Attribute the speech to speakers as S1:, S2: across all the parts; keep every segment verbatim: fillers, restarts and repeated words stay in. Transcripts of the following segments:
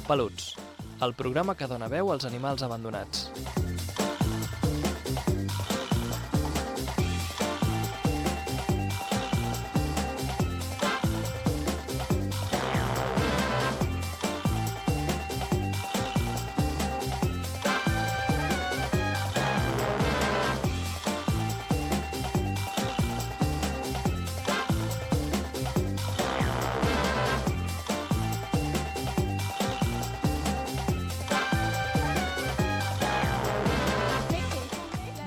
S1: Peluts, el programa que dona veu als animals abandonats.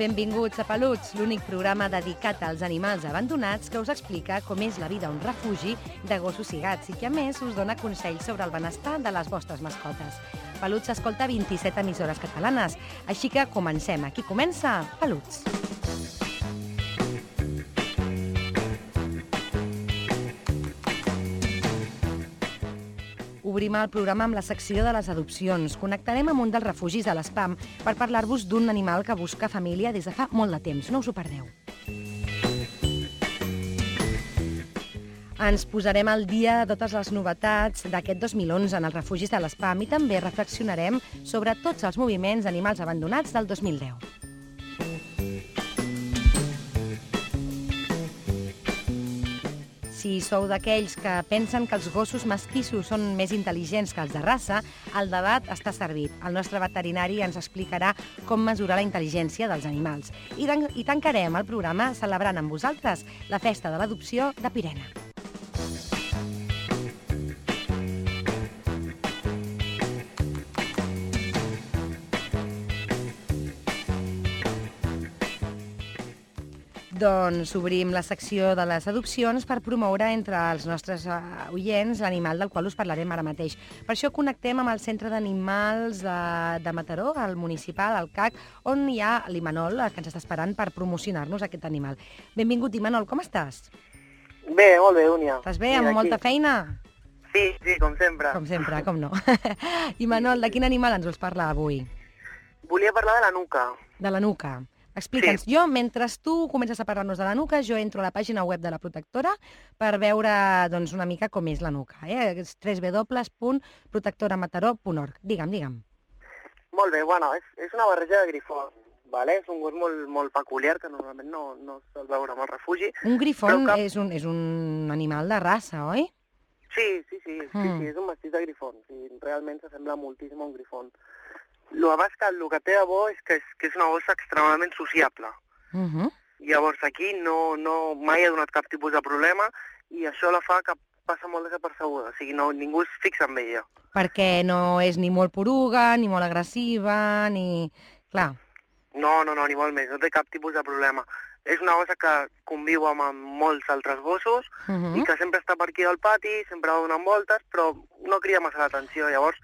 S2: Benvinguts a Peluts, l'únic programa dedicat als animals abandonats que us explica com és la vida a un refugi de gossos i gats i que, a més, us dona consells sobre el benestar de les vostres mascotes. Peluts s'escolta a vint-i-set emissores catalanes, així que comencem. Aquí comença Peluts. Obrim el programa amb la secció de les adopcions. Connectarem amb un dels refugis de l'Espam per parlar-vos d'un animal que busca família des de fa molt de temps. No us ho perdeu. Ens posarem al dia de totes les novetats d'aquest dos mil onze en els refugis de l'Espam i també reflexionarem sobre tots els moviments d'animals abandonats del dos mil deu. Si sou d'aquells que pensen que els gossos mestissos són més intel·ligents que els de raça, el debat està servit. El nostre veterinari ens explicarà com mesurar la intel·ligència dels animals. I, i tancarem el programa celebrant amb vosaltres la festa de l'adopció de Pirena. Doncs obrim la secció de les adopcions per promoure entre els nostres oients l'animal del qual us parlarem ara mateix. Per això connectem amb el Centre d'Animals de, de Mataró, el municipal, el C A C, on hi ha l'Imanol, que ens està esperant per promocionar-nos aquest animal. Benvingut, Imanol, com estàs?
S3: Bé, molt bé, Únia.
S2: Estàs bé, amb molta feina?
S3: Sí, sí, com sempre.
S2: Com sempre, com no. Imanol, de quin animal ens vols parlar avui?
S3: Volia parlar de la nuca.
S2: De la nuca. Explica'ns. Sí. Jo, mentre tu comences a parlar-nos de la nuca, jo entro a la pàgina web de la protectora per veure doncs, una mica com és la nuca. Eh? És w w w punt protectora mataró punt org. Digue'm, digue'm.
S3: Molt bé, bueno, és, és una barreja de grifons, vale? És un gos molt, molt peculiar que normalment no, no es sol veure amb el refugi.
S2: Un grifon
S3: cap...
S2: és, un, és un animal de raça, oi?
S3: Sí, sí, sí, sí, mm. sí, és un mestís de grifon. Sí, realment s'assembla moltíssim a un grifon. El que, el que té de bo és que és, que és una bossa extremadament sociable.
S2: Uh -huh.
S3: Llavors aquí no, no, mai ha donat cap tipus de problema i això la fa que passa molt desapercebuda. O sigui, no, ningú es fixa en ella.
S2: Perquè no és ni molt poruga, ni molt agressiva, ni... Clar.
S3: No, no, no, ni molt més. No té cap tipus de problema. És una bossa que conviu amb, amb molts altres gossos uh -huh. i que sempre està per aquí al pati, sempre va donant voltes, però no crida massa l'atenció. Llavors,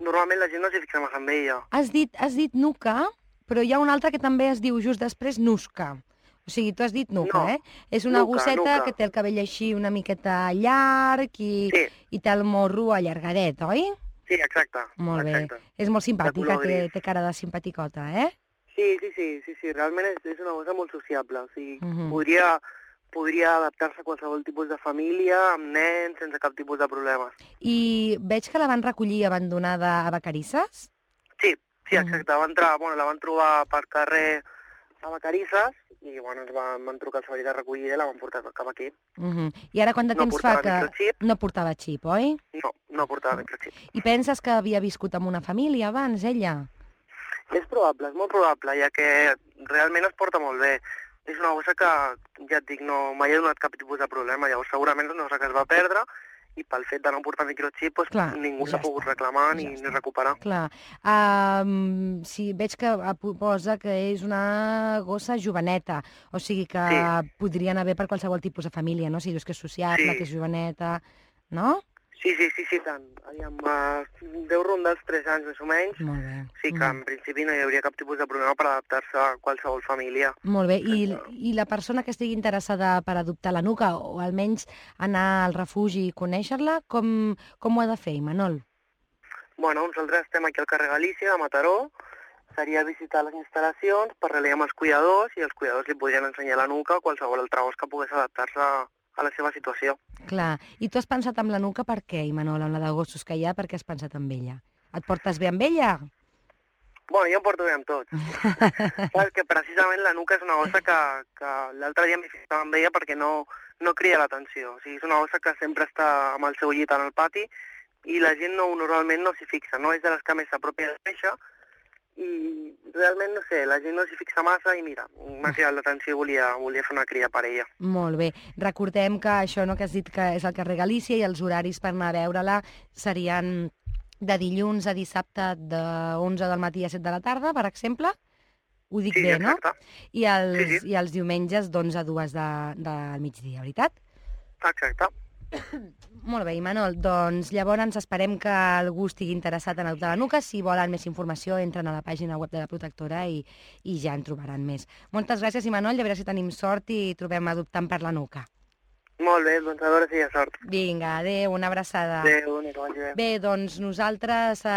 S3: normalment la gent no s'hi fixa massa amb ella.
S2: Has dit, has dit nuca, però hi ha una altra que també es diu just després nusca. O sigui, tu has dit nuca,
S3: no,
S2: eh? És una
S3: nuca,
S2: gosseta
S3: nuca.
S2: que té el cabell així una miqueta llarg i,
S3: sí.
S2: i té el morro allargadet, oi?
S3: Sí, exacte.
S2: Molt bé.
S3: Exacte.
S2: És molt simpàtica, té, té cara de simpaticota, eh?
S3: Sí, sí, sí, sí, sí. Realment és, és una bossa molt sociable. O sigui,
S2: uh -huh.
S3: podria, podria adaptar-se a qualsevol tipus de família, amb nens, sense cap tipus de problemes.
S2: I veig que la van recollir abandonada a Vacarisses?
S3: Sí, sí, exacte. Uh -huh. va entrar, bueno, la van trobar per carrer a Vacarisses i bueno, ens van, van trucar al servei de recollida i la van portar cap aquí.
S2: Uh -huh. I ara quant de
S3: no
S2: temps fa que
S3: microchip.
S2: no portava xip, oi?
S3: No, no portava microchip.
S2: I penses que havia viscut amb una família abans, ella?
S3: És probable, és molt probable, ja que realment es porta molt bé. És una bossa que, ja et dic, no, mai ha donat cap tipus de problema. Llavors segurament és una bossa que es va perdre i pel fet de no portar microchip doncs,
S2: Clar,
S3: ningú
S2: ja
S3: s'ha pogut
S2: està,
S3: reclamar ni,
S2: ja
S3: ni recuperar.
S2: Clar. Um, sí, veig que posa que és una gossa joveneta, o sigui que
S3: sí.
S2: podria anar bé per qualsevol tipus de família, no? Si dius que és sociable,
S3: sí.
S2: que és joveneta, no?
S3: Sí, sí, sí, sí, tant. Aviam, uh, deu rondar els tres anys més o menys.
S2: Molt bé.
S3: Sí que en principi no hi hauria cap tipus de problema per adaptar-se a qualsevol família.
S2: Molt bé. I, I la persona que estigui interessada per adoptar la nuca, o almenys anar al refugi i conèixer-la, com, com ho ha de fer, Imanol?
S3: Bueno, nosaltres estem aquí al carrer Galícia, de Mataró. Seria visitar les instal·lacions, parlar amb els cuidadors i els cuidadors li podrien ensenyar la nuca o qualsevol altre gos que pogués adaptar-se a a la seva situació.
S2: Clar. I tu has pensat amb la nuca per què, Imanol, amb la de gossos que hi ha, per què has pensat amb ella? Et portes bé amb ella?
S3: Bueno, jo em porto bé amb tots. Perquè precisament la nuca és una gossa que, que l'altre dia m'hi fixava amb ella perquè no, no crida l'atenció. O sigui, és una gossa que sempre està amb el seu llit en el pati i la gent no, normalment no s'hi fixa, no? És de les que més s'apropia de deixa i realment, no sé, la gent no s'hi fixa massa i mira, m'ha cridat l'atenció i volia, volia fer una crida per ella.
S2: Molt bé. Recordem que això no que has dit que és el carrer Galícia i els horaris per anar a veure-la serien de dilluns a dissabte de onze del matí a set de la tarda, per exemple? Ho dic
S3: Sí,
S2: bé,
S3: exacte.
S2: no? I els,
S3: Sí, sí.
S2: I els diumenges d'onze a dues de, del migdia, veritat?
S3: Exacte.
S2: Molt bé, Imanol, doncs llavors esperem que algú estigui interessat en adoptar la nuca. Si volen més informació, entren a la pàgina web de la protectora i, i ja en trobaran més. Moltes gràcies, Imanol, i a veure si tenim sort i trobem adoptant per la nuca.
S3: Molt bé, doncs a veure si hi ha sort.
S2: Vinga, adéu, una abraçada.
S3: Adéu, que vagi bé.
S2: Bé, doncs nosaltres, eh,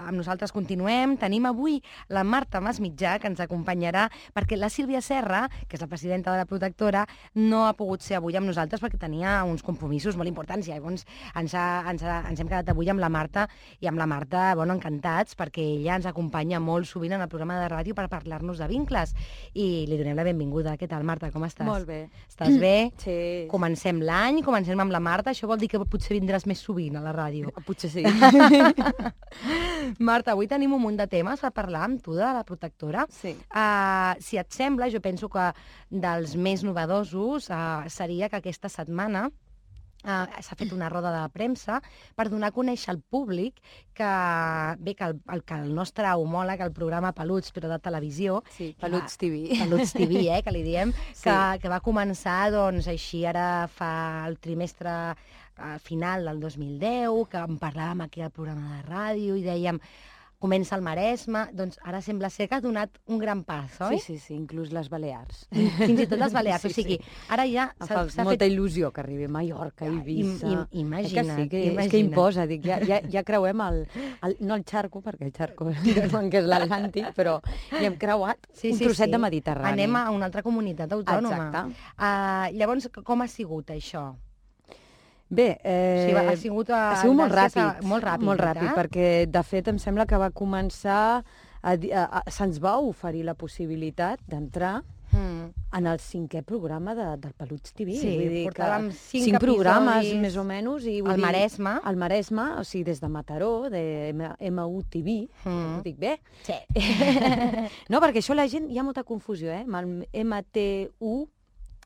S2: amb nosaltres continuem. Tenim avui la Marta Masmitjà, que ens acompanyarà, perquè la Sílvia Serra, que és la presidenta de la protectora, no ha pogut ser avui amb nosaltres perquè tenia uns compromisos molt importants. I llavors ens, ha, ens, ha, ens hem quedat avui amb la Marta, i amb la Marta, bueno, encantats, perquè ella ens acompanya molt sovint en el programa de ràdio per parlar-nos de vincles. I li donem la benvinguda. Què tal, Marta? Com estàs?
S4: Molt bé.
S2: Estàs bé?
S4: Sí.
S2: Comencem l'any, comencem amb la Marta, això vol dir que potser vindràs més sovint a la ràdio.
S4: Potser sí.
S2: Marta, avui tenim un munt de temes per parlar amb tu de la protectora.
S4: Sí.
S2: Uh, si et sembla, jo penso que dels més novedosos uh, seria que aquesta setmana Uh, s'ha fet una roda de premsa per donar a conèixer al públic que, bé, que el, el, que el nostre homòleg, el programa Peluts, però de televisió...
S4: Sí, Peluts T V.
S2: Peluts T V, eh, que li diem,
S4: Sí.
S2: que, que va començar, doncs, així ara fa el trimestre uh, final del dos mil deu, que en parlàvem aquí al programa de ràdio i dèiem... Comença el Maresme, doncs ara sembla ser que ha donat un gran pas, oi?
S4: Sí, sí, sí, inclús les Balears.
S2: Fins i tot les Balears,
S4: Sí,
S2: o sigui,
S4: sí.
S2: ara ja
S4: Em
S2: s'ha
S4: fa molta il·lusió que arribi a Mallorca,
S2: Ja,
S4: Eivissa...
S2: im- im- imagina't,
S4: Eh que sí, que, és
S2: imagina't.
S4: que imposa, dic, ja, ja, ja creuem el, el... No el xarco, perquè el xarco diuen que és l'Atlàntic, però ja hem creuat
S2: Sí,
S4: un
S2: sí,
S4: trosset
S2: sí.
S4: de Mediterrani.
S2: Anem a una altra comunitat autònoma.
S4: Exacte.
S2: Uh, llavors, com ha sigut això?
S4: Bé, eh,
S2: O sigui, ha sigut, uh,
S4: ha sigut molt
S2: gràcies
S4: ràpid,
S2: a- molt ràpid,
S4: molt ràpid,
S2: veritat?
S4: perquè de fet em sembla que va començar, a, di- a, a, se'ns va oferir la possibilitat d'entrar
S2: Mm.
S4: en el cinquè programa de, del Peluts T V.
S2: Sí,
S4: vull dir
S2: portàvem
S4: que
S2: cinc
S4: cinc programes
S2: episodis
S4: més o menys. I, vull
S2: al
S4: dir,
S2: Maresme.
S4: Al Maresme, o sigui, des de Mataró, de M U T V,
S2: Mm.
S4: ho dic bé?
S2: Sí.
S4: No, perquè això la gent, hi ha molta confusió, eh? Amb el M T U,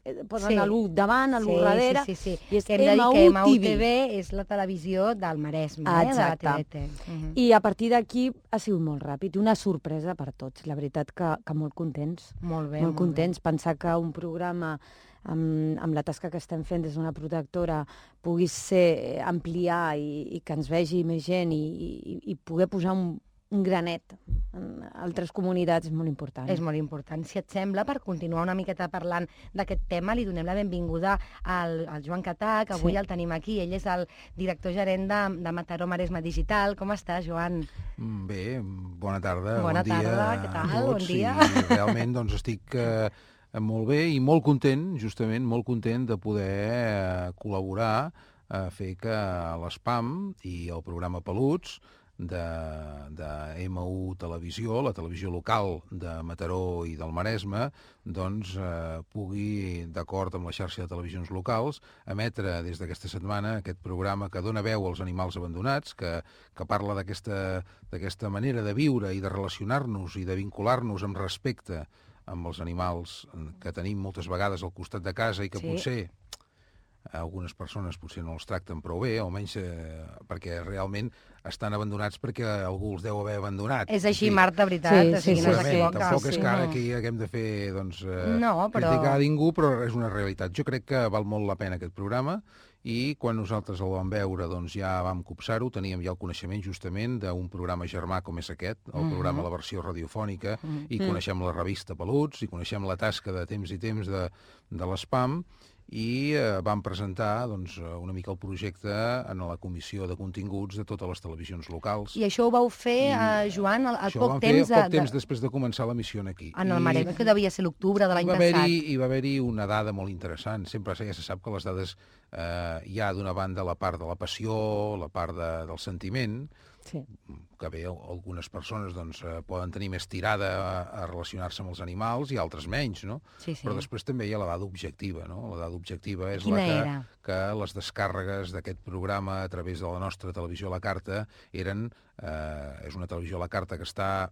S4: eh, posen
S2: Sí.
S4: l'U davant, l'U
S2: Sí,
S4: darrere,
S2: sí, sí, sí.
S4: i és
S2: Que hem de dir que
S4: M U T V.
S2: M U T V és la televisió del Maresme, eh,
S4: Exacte.
S2: de la T V T. Mhm.
S4: I a partir d'aquí ha sigut molt ràpid, una sorpresa per tots. La veritat que, que molt contents.
S2: Molt bé,
S4: molt
S2: molt
S4: contents. Pensar que un programa amb, amb la tasca que estem fent des d'una protectora pugui ser ampliar i, i que ens vegi més gent i, i, i poder posar un, un granet en altres comunitats és molt important.
S2: És molt important. Si et sembla, per continuar una miqueta parlant d'aquest tema, li donem la benvinguda al, al Joan Catà, que avui
S4: Sí.
S2: el tenim aquí. Ell és el director gerent de, de Mataró Maresme Digital. Com estàs, Joan?
S5: Mm, Bé, bona tarda,
S2: Bona
S5: bon dia
S2: tarda, què tal?
S5: a tots.
S2: Bon dia.
S5: I realment doncs, estic eh, molt bé i molt content, justament, molt content de poder eh, col·laborar a fer que l'Espam i el programa Peluts de, de M U Televisió, la televisió local de Mataró i del Maresme, doncs eh, pugui, d'acord amb la xarxa de televisions locals, emetre des d'aquesta setmana aquest programa que dona veu als animals abandonats, que, que parla d'aquesta d'aquesta manera de viure i de relacionar-nos i de vincular-nos amb respecte amb els animals que tenim moltes vegades al costat de casa i que
S2: Sí.
S5: potser algunes persones potser no els tracten prou bé, almenys eh, perquè realment estan abandonats perquè algú els deu haver abandonat.
S2: És així,
S5: En fi,
S2: Marta, veritat.
S4: Sí,
S2: o sigui,
S4: sí,
S2: no
S4: sí,
S5: segurament,
S2: s'equivoca.
S5: tampoc és
S2: Sí,
S5: que ara
S2: no.
S5: aquí haguem de fer doncs, eh,
S2: No, però-
S5: criticar a ningú, però és una realitat. Jo crec que val molt la pena aquest programa i quan nosaltres el vam veure doncs ja vam copsar-ho, teníem ja el coneixement justament d'un programa germà com és aquest, el
S2: Mhm.
S5: programa La Versió Radiofònica,
S2: Mhm.
S5: i coneixem la revista Peluts, i coneixem la tasca de temps i temps de, de l'Espam, i eh, vam presentar doncs, una mica el projecte en la comissió de continguts de totes les televisions locals.
S2: I això ho vau fer,
S5: I,
S2: eh, Joan, al, al
S5: Això ho
S2: poc
S5: vam
S2: temps,
S5: fer poc
S2: de,
S5: temps
S2: de,
S5: després de començar l'emissió aquí.
S2: en el
S5: I-
S2: Maresme, que devia ser l'octubre de
S5: hi
S2: l'any
S5: va
S2: passat.
S5: haver-hi hi va haver-hi una dada molt interessant. Sempre ja se sap que les dades eh, hi ha d'una banda la part de la passió, la part de, del sentiment,
S4: Sí.
S5: Que bé, algunes persones doncs, poden tenir més tirada a, a relacionar-se amb els animals i altres menys, no?
S2: Sí, sí.
S5: Però després també hi ha la dada objectiva, no? La dada objectiva és
S2: Quina
S5: la que,
S2: era?
S5: que les descàrregues d'aquest programa a través de la nostra televisió a la carta eren... Eh, és una televisió a la carta que està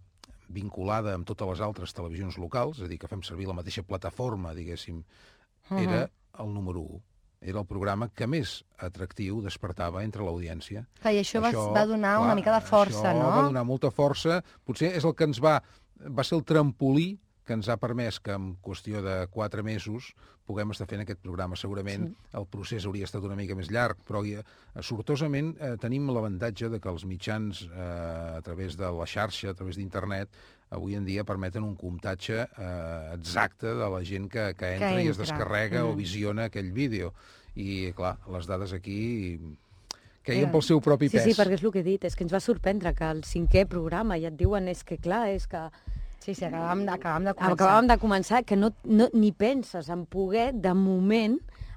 S5: vinculada amb totes les altres televisions locals, és a dir, que fem servir la mateixa plataforma, diguéssim, era el número u. Era el programa que més atractiu despertava entre l'audiència.
S2: Clar, i això, això va, va donar clar, una mica de força,
S5: això
S2: no?
S5: va donar molta força. Potser és el que ens va... Va ser el trampolí que ens ha permès que en qüestió de quatre mesos puguem estar fent aquest programa. Segurament sí. el procés hauria estat una mica més llarg, però eh, sortosament eh, tenim l'avantatge de que els mitjans, eh, a través de la xarxa, a través d'internet, avui en dia permeten un comptatge eh, exacte de la gent que, que, entra, que entra i es descarrega mm. o visiona aquell vídeo. I, clar, les dades aquí queien pel seu propi
S4: sí,
S5: pes.
S4: Sí, perquè és el que he dit, és que ens va sorprendre que el cinquè programa, ja et diuen, és que clar, és que...
S2: Sí, sí, acabàvem, acabàvem de començar.
S4: Acabàvem de començar, que no, no, ni penses en poder, de moment,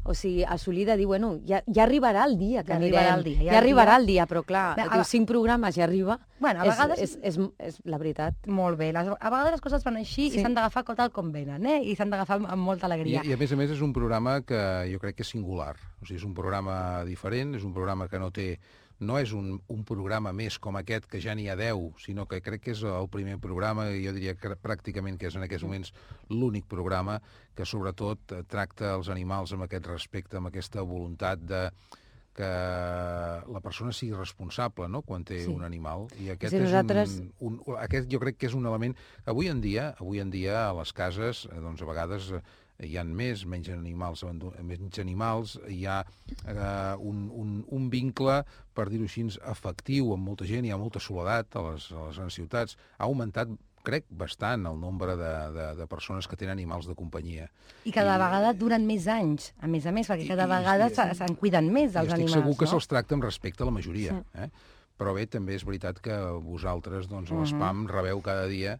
S4: o sigui, assolir de dir, bueno, ja, ja arribarà el dia que
S2: ja
S4: anirem.
S2: Arribarà el dia,
S4: ja,
S2: ja
S4: arribarà
S2: el dia,
S4: el dia però clar, Bé, a... dius, cinc programes ja arriba,
S2: bueno, a vegades...
S4: és, és, és, és la veritat.
S2: Molt bé, les, a vegades les coses van així sí. i s'han d'agafar tal com venen, eh? I s'han d'agafar amb, amb molta alegria.
S5: I, I a més a més és un programa que jo crec que és singular, o sigui, és un programa diferent, és un programa que no té... No és un, un programa més com aquest, que ja n'hi ha deu, sinó que crec que és el primer programa, i jo diria que pràcticament que és en aquests moments l'únic programa que sobretot tracta els animals amb aquest respecte, amb aquesta voluntat de que la persona sigui responsable, no?, quan té sí. un animal. I aquest,
S4: sí,
S5: és
S4: nosaltres...
S5: un, un, aquest jo crec que és un element... Avui en dia, avui en dia a les cases, doncs a vegades... hi ha més, menys animals, menys animals, hi ha eh, un, un, un vincle, per dir-ho així, afectiu amb molta gent, hi ha molta soledat a les, a les grans ciutats. Ha augmentat, crec, bastant el nombre de, de, de persones que tenen animals de companyia.
S2: I cada I, vegada duren més anys, a més a més, perquè cada i, vegada sí, se'n cuiden més els animals, no?
S5: Estic segur que se'ls tracta amb respecte a la majoria. Sí. Eh? Però bé, també és veritat que vosaltres, doncs, a l'Espam, rebeu cada dia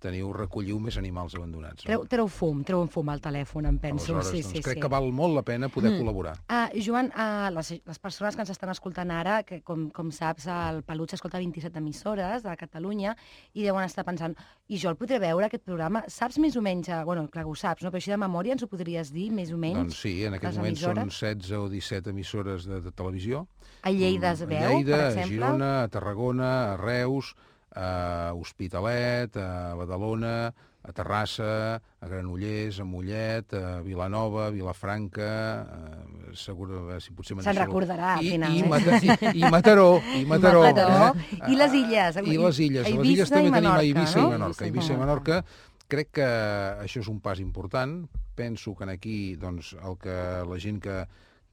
S5: teniu, recolliu més animals abandonats. No?
S2: Treu, treu fum, treu un fum al telèfon, em penso.
S5: Aleshores,
S2: sí,
S5: doncs,
S2: sí,
S5: crec
S2: sí.
S5: que val molt la pena poder mm. col·laborar.
S2: Uh, Joan, uh, les, les persones que ens estan escoltant ara, que com, com saps, el Peluts escolta vint-i-set emissores de Catalunya i deuen estar pensant, i jo el podré veure, aquest programa? Saps més o menys, uh, bueno, clar que ho saps, no? Però així de memòria ens ho podries dir, més o menys?
S5: Doncs sí, en aquest moment són setze o disset emissores de, de televisió.
S2: A Lleida es veu,
S5: a Lleida,
S2: per exemple?
S5: A Girona, a Tarragona, a Reus, a Hospitalet, a Badalona, a Terrassa, a Granollers, a Mollet, a Vilanova, a Vilafranca, a, segur, a, si potser...
S2: Se'n recordarà, al
S5: I,
S2: final.
S5: I, eh? Mata, i, i Mataró, i Mataró.
S2: Mataró.
S5: Eh?
S2: I les illes.
S5: I les illes.
S2: A
S5: les illes també tenim a Eivissa
S2: no?
S5: i Menorca. A Eivissa i Menorca. Crec que això és un pas important. Penso que aquí, doncs, el que la gent que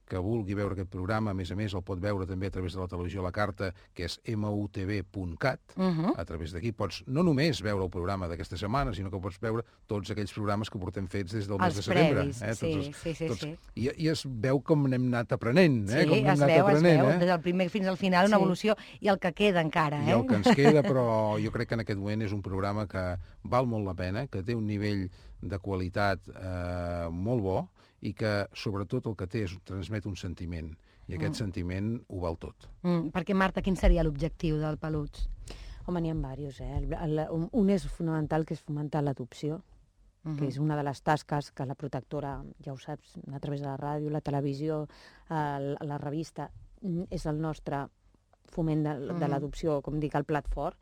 S5: que vulgui veure aquest programa, a més a més, el pot veure també a través de la televisió a la carta, que és m u t v punt cat. Uh-huh. A través d'aquí pots no només veure el programa d'aquesta setmana, sinó que pots veure tots aquells programes que portem fets des del
S2: els
S5: mes de setembre.
S2: Previs,
S5: eh?
S2: sí,
S5: tots els,
S2: sí, sí,
S5: tots...
S2: sí.
S5: I, I es veu com n'hem anat aprenent. Eh?
S2: Sí,
S5: com
S2: es
S5: anat
S2: veu,
S5: aprenent,
S2: es veu,
S5: eh?
S2: des del primer fins al final, una
S4: sí.
S2: evolució, i el que queda encara. Eh?
S5: I el que ens queda, però jo crec que en aquest moment és un programa que val molt la pena, que té un nivell de qualitat eh, molt bo, i que, sobretot, el que té és transmet un sentiment. I aquest mm. sentiment ho val tot.
S2: Mm, perquè, Marta, quin seria l'objectiu del Peluts?
S4: Home, n'hi ha diversos, eh? El, el, un és fonamental, que és fomentar l'adopció, uh-huh. que és una de les tasques que la protectora, ja ho saps, a través de la ràdio, la televisió, eh, la revista, és el nostre foment de, de l'adopció, com dic, el plat fort.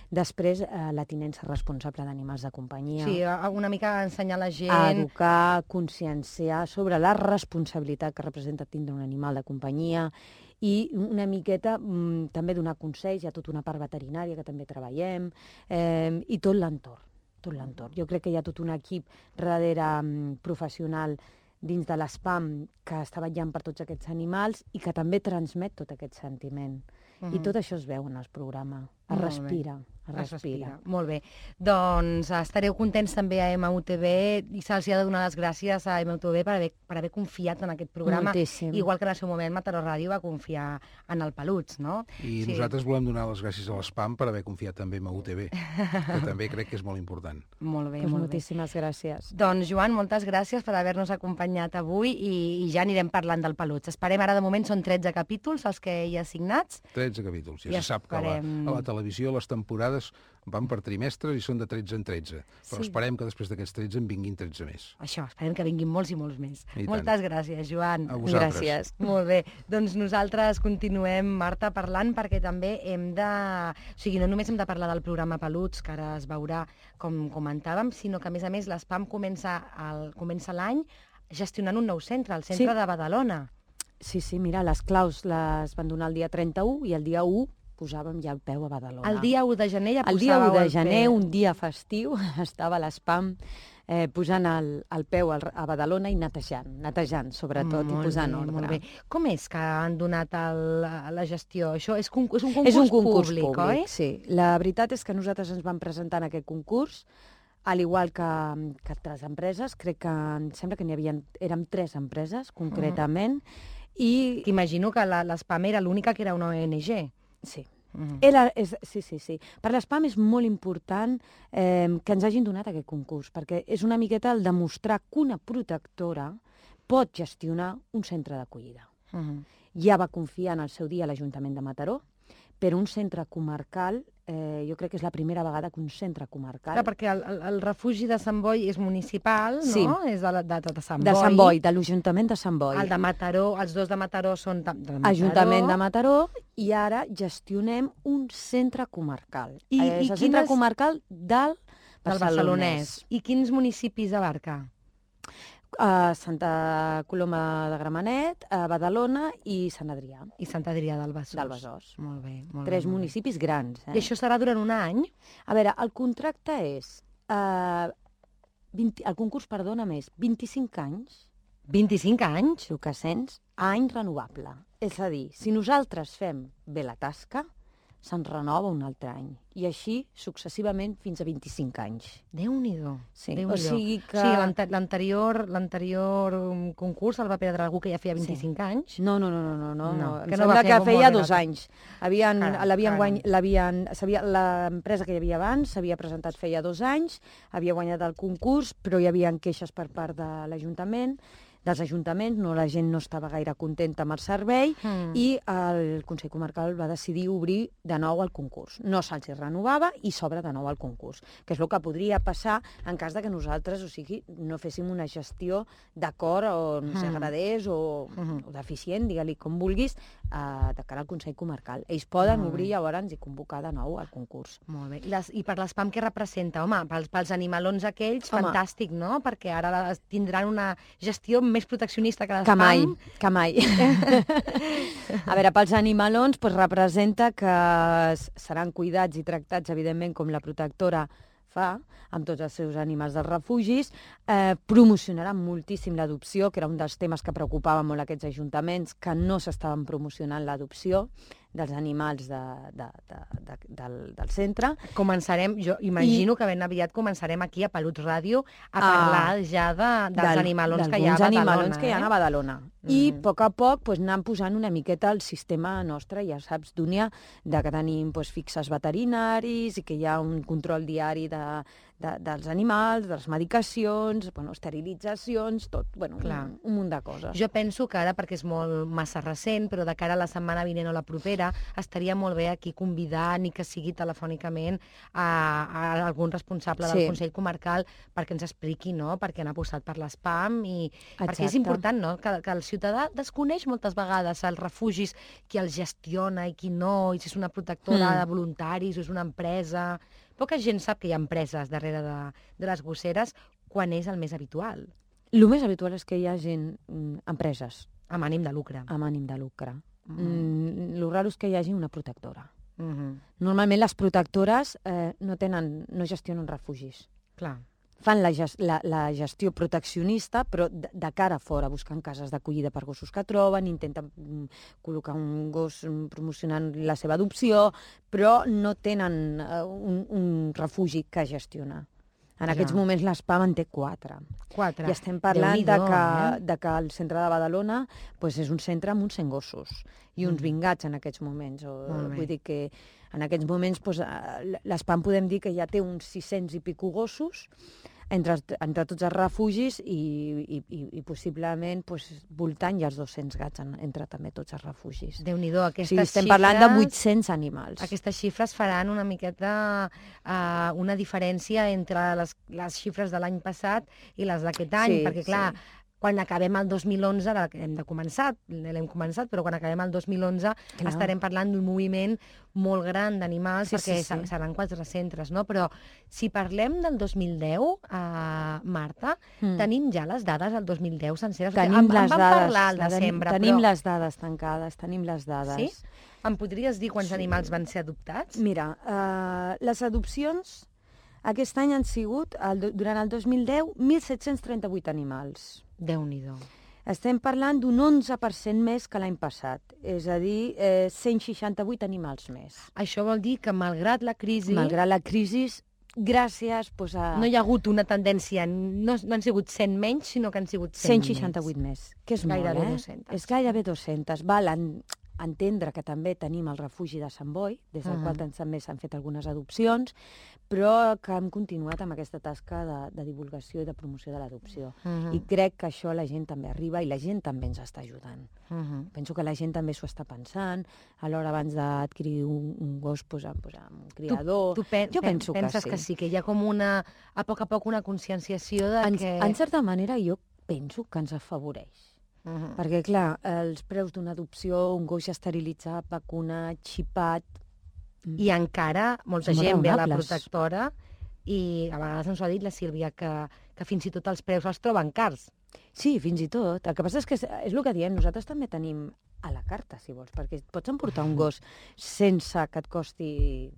S4: Després, eh, la tinença responsable d'animals de companyia.
S2: Sí, una mica ensenyar la gent...
S4: A educar, conscienciar sobre la responsabilitat que representa tindre un animal de companyia i una miqueta mm, també donar consells, hi ha tota una part veterinària que també treballem, eh, i tot l'entorn, tot l'entorn. Jo crec que hi ha tot un equip darrere mm, professional dins de l'Espam que està vetllant per tots aquests animals i que també transmet tot aquest sentiment. Uh-huh. I tot això es veu en el programa, es respira, es respira.
S2: respira. Molt bé. Doncs estareu contents també a M U T V i se'ls ha de donar les gràcies a M U T V per haver, per haver confiat en aquest programa.
S4: Moltíssim.
S2: Igual que en el seu moment Mataró Ràdio va confiar en el Peluts, no?
S5: I sí. nosaltres volem donar les gràcies a l'Espam per haver confiat també en M U T V, que també crec que és molt important.
S2: Molt bé,
S4: Pues
S2: molt
S4: moltíssimes
S2: bé.
S4: gràcies.
S2: Doncs, Joan, moltes gràcies per haver-nos acompanyat avui i, i ja anirem parlant del Peluts. Esperem, ara de moment són tretze capítols els que hi ha assignats.
S5: tretze capítols. Ja,
S2: Ja
S5: se sap que a la,
S2: esperem.
S5: a la televisió les temporades van per trimestres i són de tretze en tretze. Però
S2: Sí.
S5: esperem que després d'aquests tretze en vinguin tretze més.
S2: Això, esperem que vinguin molts i molts més.
S5: I tant.
S2: Moltes gràcies, Joan.
S5: A vosaltres.
S4: Gràcies.
S2: Molt bé, doncs nosaltres continuem, Marta, parlant perquè també hem de... O sigui, no només hem de parlar del programa Peluts, que ara es veurà com comentàvem, sinó que, a més a més, l'Espam comença el- comença l'any gestionant un nou centre, el centre
S4: Sí.
S2: de Badalona.
S4: Sí, sí, mira, les claus les van donar el dia trenta-u i el dia u posàvem ja el peu a Badalona.
S2: El dia u de gener ja
S4: El dia u
S2: posàveu
S4: de
S2: el
S4: gener,
S2: peu.
S4: un dia festiu, estava l'Espam eh, posant el, el peu al, a Badalona i netejant, netejant sobretot,
S2: Molt
S4: i posant
S2: bé,
S4: ordre.
S2: Molt bé. Com és que han donat el, la gestió? Això és, con- és un concurs,
S4: És un concurs
S2: públic,
S4: públic,
S2: oi?
S4: sí. La veritat és que nosaltres ens vam presentar en aquest concurs, al igual que, que altres empreses. Crec que em sembla que n'hi havia, érem tres empreses, concretament, i...
S2: T'imagino que la- l'Espam era l'única que era una O N G.
S4: Sí.
S2: Mhm.
S4: Era, és, sí, sí, sí. Per l'Espam és molt important eh, que ens hagin donat aquest concurs, perquè és una miqueta el demostrar que una protectora pot gestionar un centre d'acollida.
S2: Mhm.
S4: Ja va confiar en el seu dia l'Ajuntament de Mataró, però un centre comarcal, eh, jo crec que és la primera vegada que un centre comarcal...
S2: Clar, perquè el, el, el refugi de Sant Boi és municipal,
S4: Sí.
S2: no? És de, la- de, de, de Sant
S4: de
S2: Boi.
S4: Sant Boi, de l'Ajuntament de Sant Boi.
S2: El de Mataró, els dos de Mataró són de, de Mataró.
S4: Ajuntament de Mataró, i ara gestionem un centre comarcal.
S2: I-
S4: Eh,
S2: i
S4: és el centre
S2: quines-
S4: comarcal del
S2: del Barcelonès. I quins municipis abarca?
S4: A Santa Coloma de Gramenet, a Badalona i Sant Adrià,
S2: I Sant Adrià del Besòs.
S4: del Besòs.
S2: Molt bé, molt
S4: Tres
S2: bé. molt bé.
S4: municipis grans. Eh?
S2: I això serà durant un any?
S4: A veure, el contracte és... Eh, vint, el concurs, perdona, més vint-i-cinc anys,
S2: vint-i-cinc anys?
S4: el que sents, a any renovable. És a dir, si nosaltres fem bé la tasca, se'n renova un altre any. I així successivament fins a vint-i-cinc anys.
S2: Déu-n'hi-do.
S4: Sí,
S2: Déu-n'hi-do.
S4: o sigui que...
S2: Sí, l'ante- l'anterior l'anterior um, concurs el va perdre algú que ja feia vint-i-cinc anys.
S4: No, no, no, no, no, no.
S2: No,
S4: Em
S2: que no
S4: sembla
S2: va fer
S4: que
S2: molt
S4: feia
S2: bé
S4: dos
S2: la-
S4: anys. Havien,
S2: Caram,
S4: l'havien
S2: caram.
S4: guany, l'havien, s'havia- l'empresa que hi havia abans s'havia presentat feia dos anys, havia guanyat el concurs, però hi havia queixes per part de l'Ajuntament, dels ajuntaments, no, la gent no estava gaire contenta amb el servei,
S2: Mm.
S4: i el Consell Comarcal va decidir obrir de nou el concurs. No se'ls renovava i s'obre de nou el concurs, que és el que podria passar en cas de que nosaltres, o sigui, no féssim una gestió d'acord o no ens
S2: Mm.
S4: agradés o,
S2: Mhm.
S4: o deficient, digue-li com vulguis, eh, de cara al Consell Comarcal. Ells poden
S2: Molt bé.
S4: obrir llavors i convocar de nou el concurs.
S2: Molt bé. I, les, I per l'espam què representa? Home, pels, pels animalons aquells,
S4: Home.
S2: fantàstic, no? Perquè ara les- tindran una gestió més proteccionista que l'espam.
S4: Que mai, que mai. A veure, pels animalons pues, representa que s- seran cuidats i tractats, evidentment, com la protectora fa amb tots els seus animals dels refugis, eh, promocionaran moltíssim l'adopció, que era un dels temes que preocupaven molt aquests ajuntaments, que no s'estaven promocionant l'adopció dels animals de, de, de, de, del, del centre.
S2: Començarem, jo imagino I... que ben aviat començarem aquí a Pelut Ràdio a parlar ja de, dels
S4: del-
S2: animalons que hi ha a
S4: d'alguns
S2: Badalona.
S4: animalons que hi ha a
S2: eh?
S4: Badalona. I
S2: Mhm.
S4: a poc a poc pues, anant posant una miqueta el sistema nostre, ja saps, Dúnia, de que tenim pues, fixes veterinaris i que hi ha un control diari de, de, dels animals, de les medicacions, bueno, esterilitzacions, tot, bueno,
S2: Clar.
S4: un, un munt de coses.
S2: Jo penso que ara, perquè és molt massa recent, però de cara a la setmana vinent o la propera, estaria molt bé aquí convidar, ni que sigui telefònicament, a, a algun responsable
S4: Sí.
S2: del Consell Comarcal perquè ens expliqui, no?, perquè han apostat per l'espam i perquè és
S4: Exacte.
S2: important, no?, que, que el ciutadà desconeix moltes vegades els refugis, qui els gestiona i qui no, i si és una protectora
S4: Mm.
S2: de voluntaris o és una empresa. Poca gent sap que hi ha empreses darrere de, de les gosseres quan és el més habitual,
S4: El més habitual és que hi ha gent, mm, empreses,
S2: amb ànim de lucre.
S4: amb ànim de lucre.
S2: Mhm.
S4: Mm, el raro és que hi hagi una protectora.
S2: Mhm.
S4: Normalment les protectores eh, no tenen, no gestionen refugis.
S2: Clar.
S4: fan la, gest la, la gestió proteccionista, però de, de cara a fora, buscant cases d'acollida per gossos que troben, intenten mm, col·locar un gos mm, promocionant la seva adopció, però no tenen uh, un, un refugi que gestionar. En aquests
S2: Ja.
S4: moments l'Spam en té quatre.
S2: Quatre.
S4: I estem parlant de
S2: Déu-n'hi-do,
S4: que,
S2: eh?
S4: de que el centre de Badalona pues, és un centre amb uns cent gossos i uns
S2: Mm.
S4: vingats en aquests moments. O,
S2: Molt bé.
S4: vull dir que en aquests moments pues, l'Spam podem dir que ja té uns sis-cents i pico gossos entre, entre tots els refugis i, i, i, i possiblement pues, voltant ja els dos-cents gats en, entre també tots els refugis.
S2: Déu-n'hi-do,
S4: O
S2: aquestes
S4: sigui, estem
S2: xifres...
S4: parlant de vuit-cents animals.
S2: Aquestes xifres faran una miqueta uh, una diferència entre les, les xifres de l'any passat i les d'aquest any,
S4: Sí,
S2: perquè clar,
S4: sí.
S2: quan acabem el dos mil onze, ara que hem de començar, l'hem començat, però quan acabem el dos mil onze
S4: Clar.
S2: estarem parlant d'un moviment molt gran d'animals,
S4: Sí,
S2: perquè
S4: sí, sí.
S2: seran quatre centres, no? Però si parlem del dos mil deu, uh, Marta,
S4: Mm.
S2: tenim ja les dades del dos mil deu senceres.
S4: Tenim
S2: en,
S4: les
S2: en vam
S4: dades.
S2: parlar al
S4: la tenim-
S2: desembre,
S4: Tenim
S2: però...
S4: les dades tancades, tenim les dades.
S2: Sí? Em podries dir quants
S4: Sí.
S2: animals van ser adoptats?
S4: Mira, uh, les adopcions aquest any han sigut, el, durant el dos mil deu, mil set-cents trenta-vuit animals.
S2: Déu-n'hi-do.
S4: Estem parlant d'un onze per cent més que l'any passat, és a dir, eh, cent seixanta-vuit animals més.
S2: Això vol dir que, malgrat la crisi,
S4: Malgrat la crisi, gràcies pues, a
S2: no hi ha hagut una tendència, no, no han sigut cent menys, sinó que han sigut cent,
S4: cent seixanta-vuit més, que és
S2: Gairebé
S4: molt, eh?
S2: dos-cents.
S4: És gairebé dos-cents. Val en, entendre que també tenim el refugi de Sant Boi, des del
S2: Mhm.
S4: qual tan- també s'han fet algunes adopcions, però que hem continuat amb aquesta tasca de, de divulgació i de promoció de l'adopció.
S2: Uh -huh.
S4: I crec que això la gent també arriba i la gent també ens està ajudant.
S2: Uh -huh.
S4: Penso que la gent també s'ho està pensant, a l'hora abans d'adquirir un, un gos, pues, amb, pues, amb un criador.
S2: Tu pen
S4: Jo penso que
S2: penses
S4: sí.
S2: que sí, que hi ha com una, a poc a poc una conscienciació de
S4: En,
S2: que...
S4: en certa manera, jo penso que ens afavoreix.
S2: Uh -huh.
S4: Perquè, clar, els preus d'una adopció, un gos ja esterilitzat, vacunat, xipat...
S2: I encara molta
S4: Som
S2: gent ve a la
S4: raonables.
S2: protectora i a vegades ens ho ha dit la Sílvia, que, que fins i tot els preus els troben cars.
S4: Sí, fins i tot. El que passa és que és, és el que diem, nosaltres també tenim a la carta, si vols, perquè pots emportar un gos sense que et costi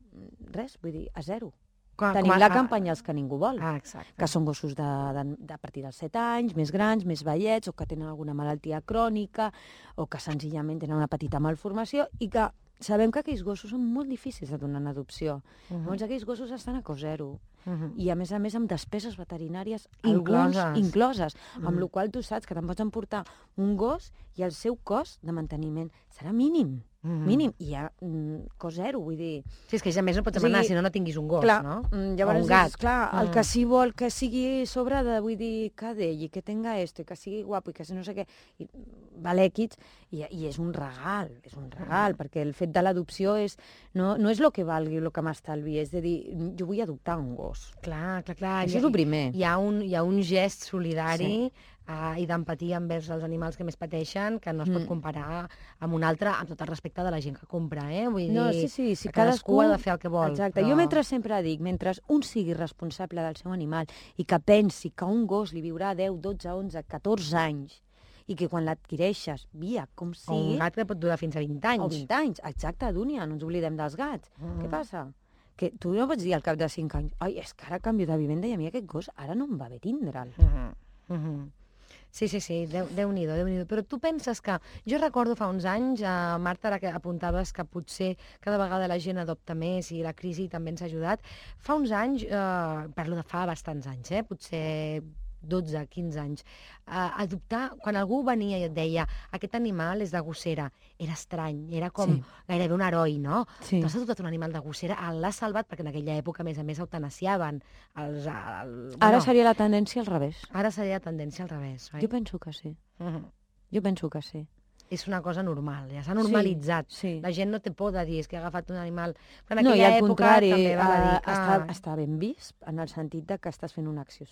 S4: res, vull dir, a zero.
S2: Com,
S4: Tenim
S2: com a-
S4: la campanya Els que ningú vol,
S2: Ah, exacte.
S4: que són gossos de, de, de a partir dels set anys, més grans, més vellets, o que tenen alguna malaltia crònica, o que senzillament tenen una petita malformació, i que sabem que aquells gossos són molt difícils de donar en adopció.
S2: Uh -huh.
S4: Llavors aquells gossos estan a cost zero.
S2: Uh -huh.
S4: I a més a més amb despeses veterinàries
S2: Incloses.
S4: alguns incloses, amb
S2: Mm.
S4: la qual tu saps que te'n pots emportar un gos i el seu cost de manteniment serà mínim,
S2: Uh -huh.
S4: mínim, i hi ha mm, cost zero, vull dir...
S2: Sí, és que ja més no pots
S4: O sigui,
S2: demanar si no no tinguis un gos,
S4: clar,
S2: no?
S4: mm,
S2: O
S4: llavors
S2: un gat.
S4: és, clar, el
S2: Mm.
S4: que sí vol que sigui sobre de, vull dir, que d'ell, i que tenga esto, i que sigui guapo, i que no sé què, i val èquits, i, i és un regal, és un regal, perquè el fet de l'adopció és, no, no és el que valgui, el que m'estalvi, és de dir, jo vull adoptar un gos.
S2: Clar, clar, clar.
S4: Això
S2: Hi ha-
S4: és el primer.
S2: Hi ha un, hi ha un gest solidari uh, i d'empatia envers els animals que més pateixen que no es pot
S4: Mm.
S2: comparar amb un altre, amb tot el respecte de la gent que compra, eh? Vull
S4: No,
S2: dir,
S4: sí, sí, sí,
S2: que cadascú,
S4: cadascú
S2: ha de fer el que vol.
S4: Exacte.
S2: però...
S4: Jo mentre sempre dic, mentre un sigui responsable del seu animal i que pensi que un gos li viurà deu, dotze, onze, catorze anys i que quan l'adquireixes, via, com
S2: O
S4: sigui...
S2: un gat que pot durar fins a vint anys.
S4: O vint anys, exacte, Dúnia, no ens oblidem dels gats.
S2: Mm.
S4: Què passa? Que tu no pots dir al cap de cinc anys, ai, és que ara canvio de vivenda i a mi aquest gos ara no em va bé tindre'l.
S2: Uh -huh. Uh -huh. Sí, sí, sí, Déu, Déu-n'hi-do, Déu-n'hi-do. Però tu penses que... Jo recordo fa uns anys, eh, Marta, ara que apuntaves que potser cada vegada la gent adopta més i la crisi també ens ha ajudat. Fa uns anys, eh, parlo de fa bastants anys, eh, potser dotze, quinze anys, eh, adoptar, quan algú venia i et deia aquest animal és de gossera, era estrany, era com
S4: Sí.
S2: gairebé un heroi, no?
S4: Sí.
S2: T'has adoptat un animal de gossera, l'has salvat, perquè en aquella època, a més a més, eutanasiaven. Els, el,
S4: Ara
S2: bueno,
S4: seria la tendència al revés.
S2: Ara seria la tendència al revés, oi?
S4: Jo penso que sí.
S2: Mhm.
S4: Jo penso que sí.
S2: És una cosa normal, ja s'ha normalitzat.
S4: Sí.
S2: La gent no té por de dir, és que ha agafat un animal... Però en
S4: No, i
S2: aquella
S4: al
S2: època
S4: contrari,
S2: també val a dir
S4: eh,
S2: que...
S4: està, està ben vist en el sentit de que estàs fent una acció,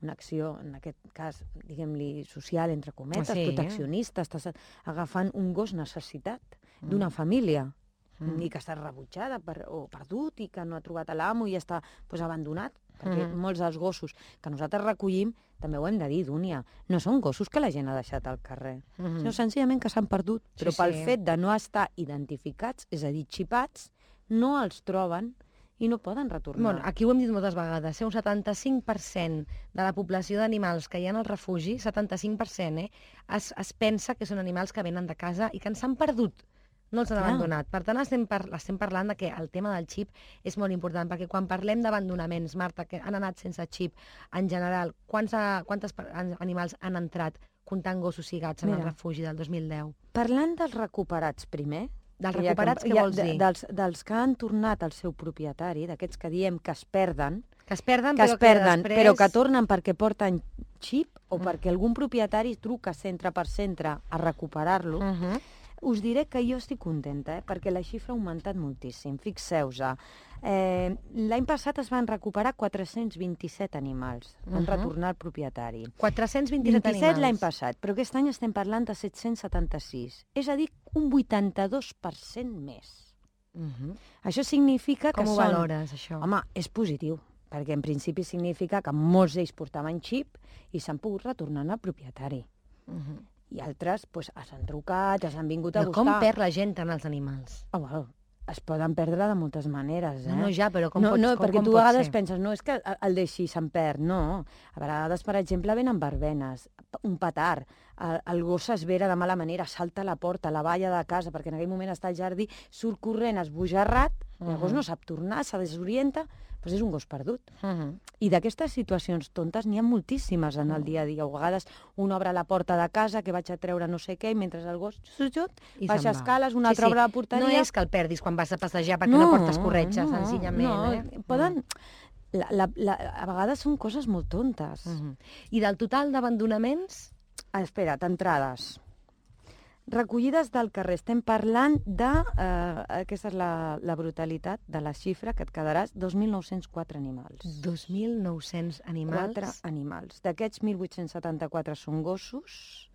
S4: una acció en aquest cas, diguem-li, social, entre cometes,
S2: Sí.
S4: proteccionista, estàs agafant un gos necessitat d'una família
S2: Mm.
S4: i que està rebutjada per, o perdut i que no ha trobat a l'amo i està pues, abandonat, perquè
S2: Mhm.
S4: molts dels gossos que nosaltres recollim, també ho hem de dir, Dúnia, no són gossos que la gent ha deixat al carrer,
S2: Mhm.
S4: sinó senzillament que s'han perdut,
S2: Sí,
S4: però pel
S2: sí.
S4: fet de no estar identificats, és a dir, xipats, no els troben i no poden retornar.
S2: Bueno, aquí ho hem dit moltes vegades, eh? Un setanta-cinc per cent de la població d'animals que hi ha al refugi, setanta-cinc per cent, eh? es, es pensa que són animals que venen de casa i que ens han perdut, no els han
S4: Clar.
S2: abandonat. Per tant, estem, par estem parlant de que el tema del xip és molt important, perquè quan parlem d'abandonaments, Marta, que han anat sense xip, en general, quants, a, quantes animals han entrat comptant gossos i gats en
S4: Mira,
S2: el refugi del dos mil deu?
S4: Parlant dels recuperats primer,
S2: Dels
S4: que ja
S2: recuperats,
S4: que-
S2: què
S4: ja-
S2: vols
S4: de-
S2: dir?
S4: Dels, dels que han tornat al seu propietari, d'aquests que diem que es perden,
S2: Que es perden,
S4: que
S2: però
S4: es perden,
S2: després...
S4: però que tornen perquè porten xip o
S2: Mm.
S4: perquè algun propietari truca centre per centre a recuperar-lo,
S2: Uh -huh.
S4: us diré que jo estic contenta, eh? perquè la xifra ha augmentat moltíssim. Fixeu-vos, eh, l'any passat es van recuperar quatre-cents vint-i-set animals, van
S2: Mhm.
S4: retornar al propietari.
S2: quatre-cents vint-i-set
S4: vint-i-set l'any
S2: animals.
S4: passat, però aquest any estem parlant de set-cents setanta-sis, és a dir, un vuitanta-dos per cent més.
S2: Uh -huh.
S4: Això significa que
S2: Com ho
S4: són...
S2: valores, això?
S4: Home, és positiu, perquè en principi significa que molts d'ells portaven xip i s'han pogut retornar al propietari.
S2: Uh -huh.
S4: I altres pues, s'han trucat, s'han vingut a
S2: Però com
S4: buscar.
S2: perd la gent tant els animals?
S4: Oh, well, es poden perdre de moltes maneres, eh?
S2: No, no, ja, però com
S4: no,
S2: pot,
S4: no,
S2: com,
S4: perquè
S2: com
S4: tu
S2: pot
S4: a vegades
S2: ser?
S4: penses, no, és que el deixi se'n perd, no. A vegades, per exemple, venen verbenes, un petard, el, el gos s'esvera de mala manera, salta a la porta, a la valla de casa, perquè en aquell moment està al jardí, surt corrent, esbojarrat, uh -huh. el gos no sap tornar, se desorienta, doncs és un gos perdut.
S2: Uh -huh.
S4: I d'aquestes situacions tontes n'hi ha moltíssimes en el dia a dia. A vegades un obre la porta de casa, que vaig a treure no sé què, i mentre el gos xut,
S2: I
S4: baixa
S2: se'n va.
S4: escales, un
S2: Sí,
S4: altre
S2: sí.
S4: obre la porteria...
S2: No és que el perdis quan vas a passejar perquè no, portes corretja,
S4: no,
S2: senzillament.
S4: no,
S2: eh?
S4: poden... La, la, la, a vegades són coses molt tontes.
S2: Uh -huh. I del total d'abandonaments?
S4: Ah, espera't, entrades. Recollides del carrer. Estem parlant de... Eh, aquesta és la, la brutalitat de la xifra, que et quedaràs dos mil nou-cents quatre animals.
S2: dos mil nou-cents animals.
S4: Quatre animals. D'aquests, mil vuit-cents setanta-quatre són gossos.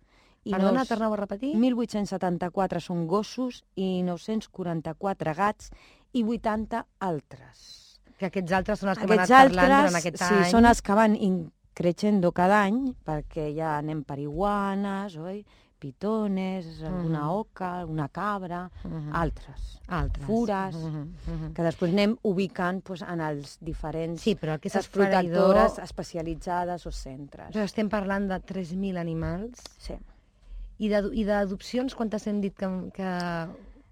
S4: I
S2: Perdona,
S4: nous-
S2: torneu a repetir?
S4: mil vuit-cents setanta-quatre són gossos i nou-cents quaranta-quatre gats i vuitanta altres.
S2: Que aquests altres són els que hem
S4: Aquests
S2: anat parlant
S4: altres,
S2: durant aquest
S4: sí,
S2: any.
S4: són els que van creixendo cada any, perquè ja anem per iguanes, oi? Pitones, alguna
S2: Mhm.
S4: oca, una cabra,
S2: Mhm.
S4: altres.
S2: Altres.
S4: Fures,
S2: Uh -huh. Uh -huh.
S4: que després anem ubicant doncs, en els diferents
S2: Sí, però aquestes
S4: les protectores
S2: feridor-
S4: especialitzades o centres.
S2: Però estem parlant de tres mil animals.
S4: Sí.
S2: I d'adu- i d'adopcions, quantes hem dit que... que...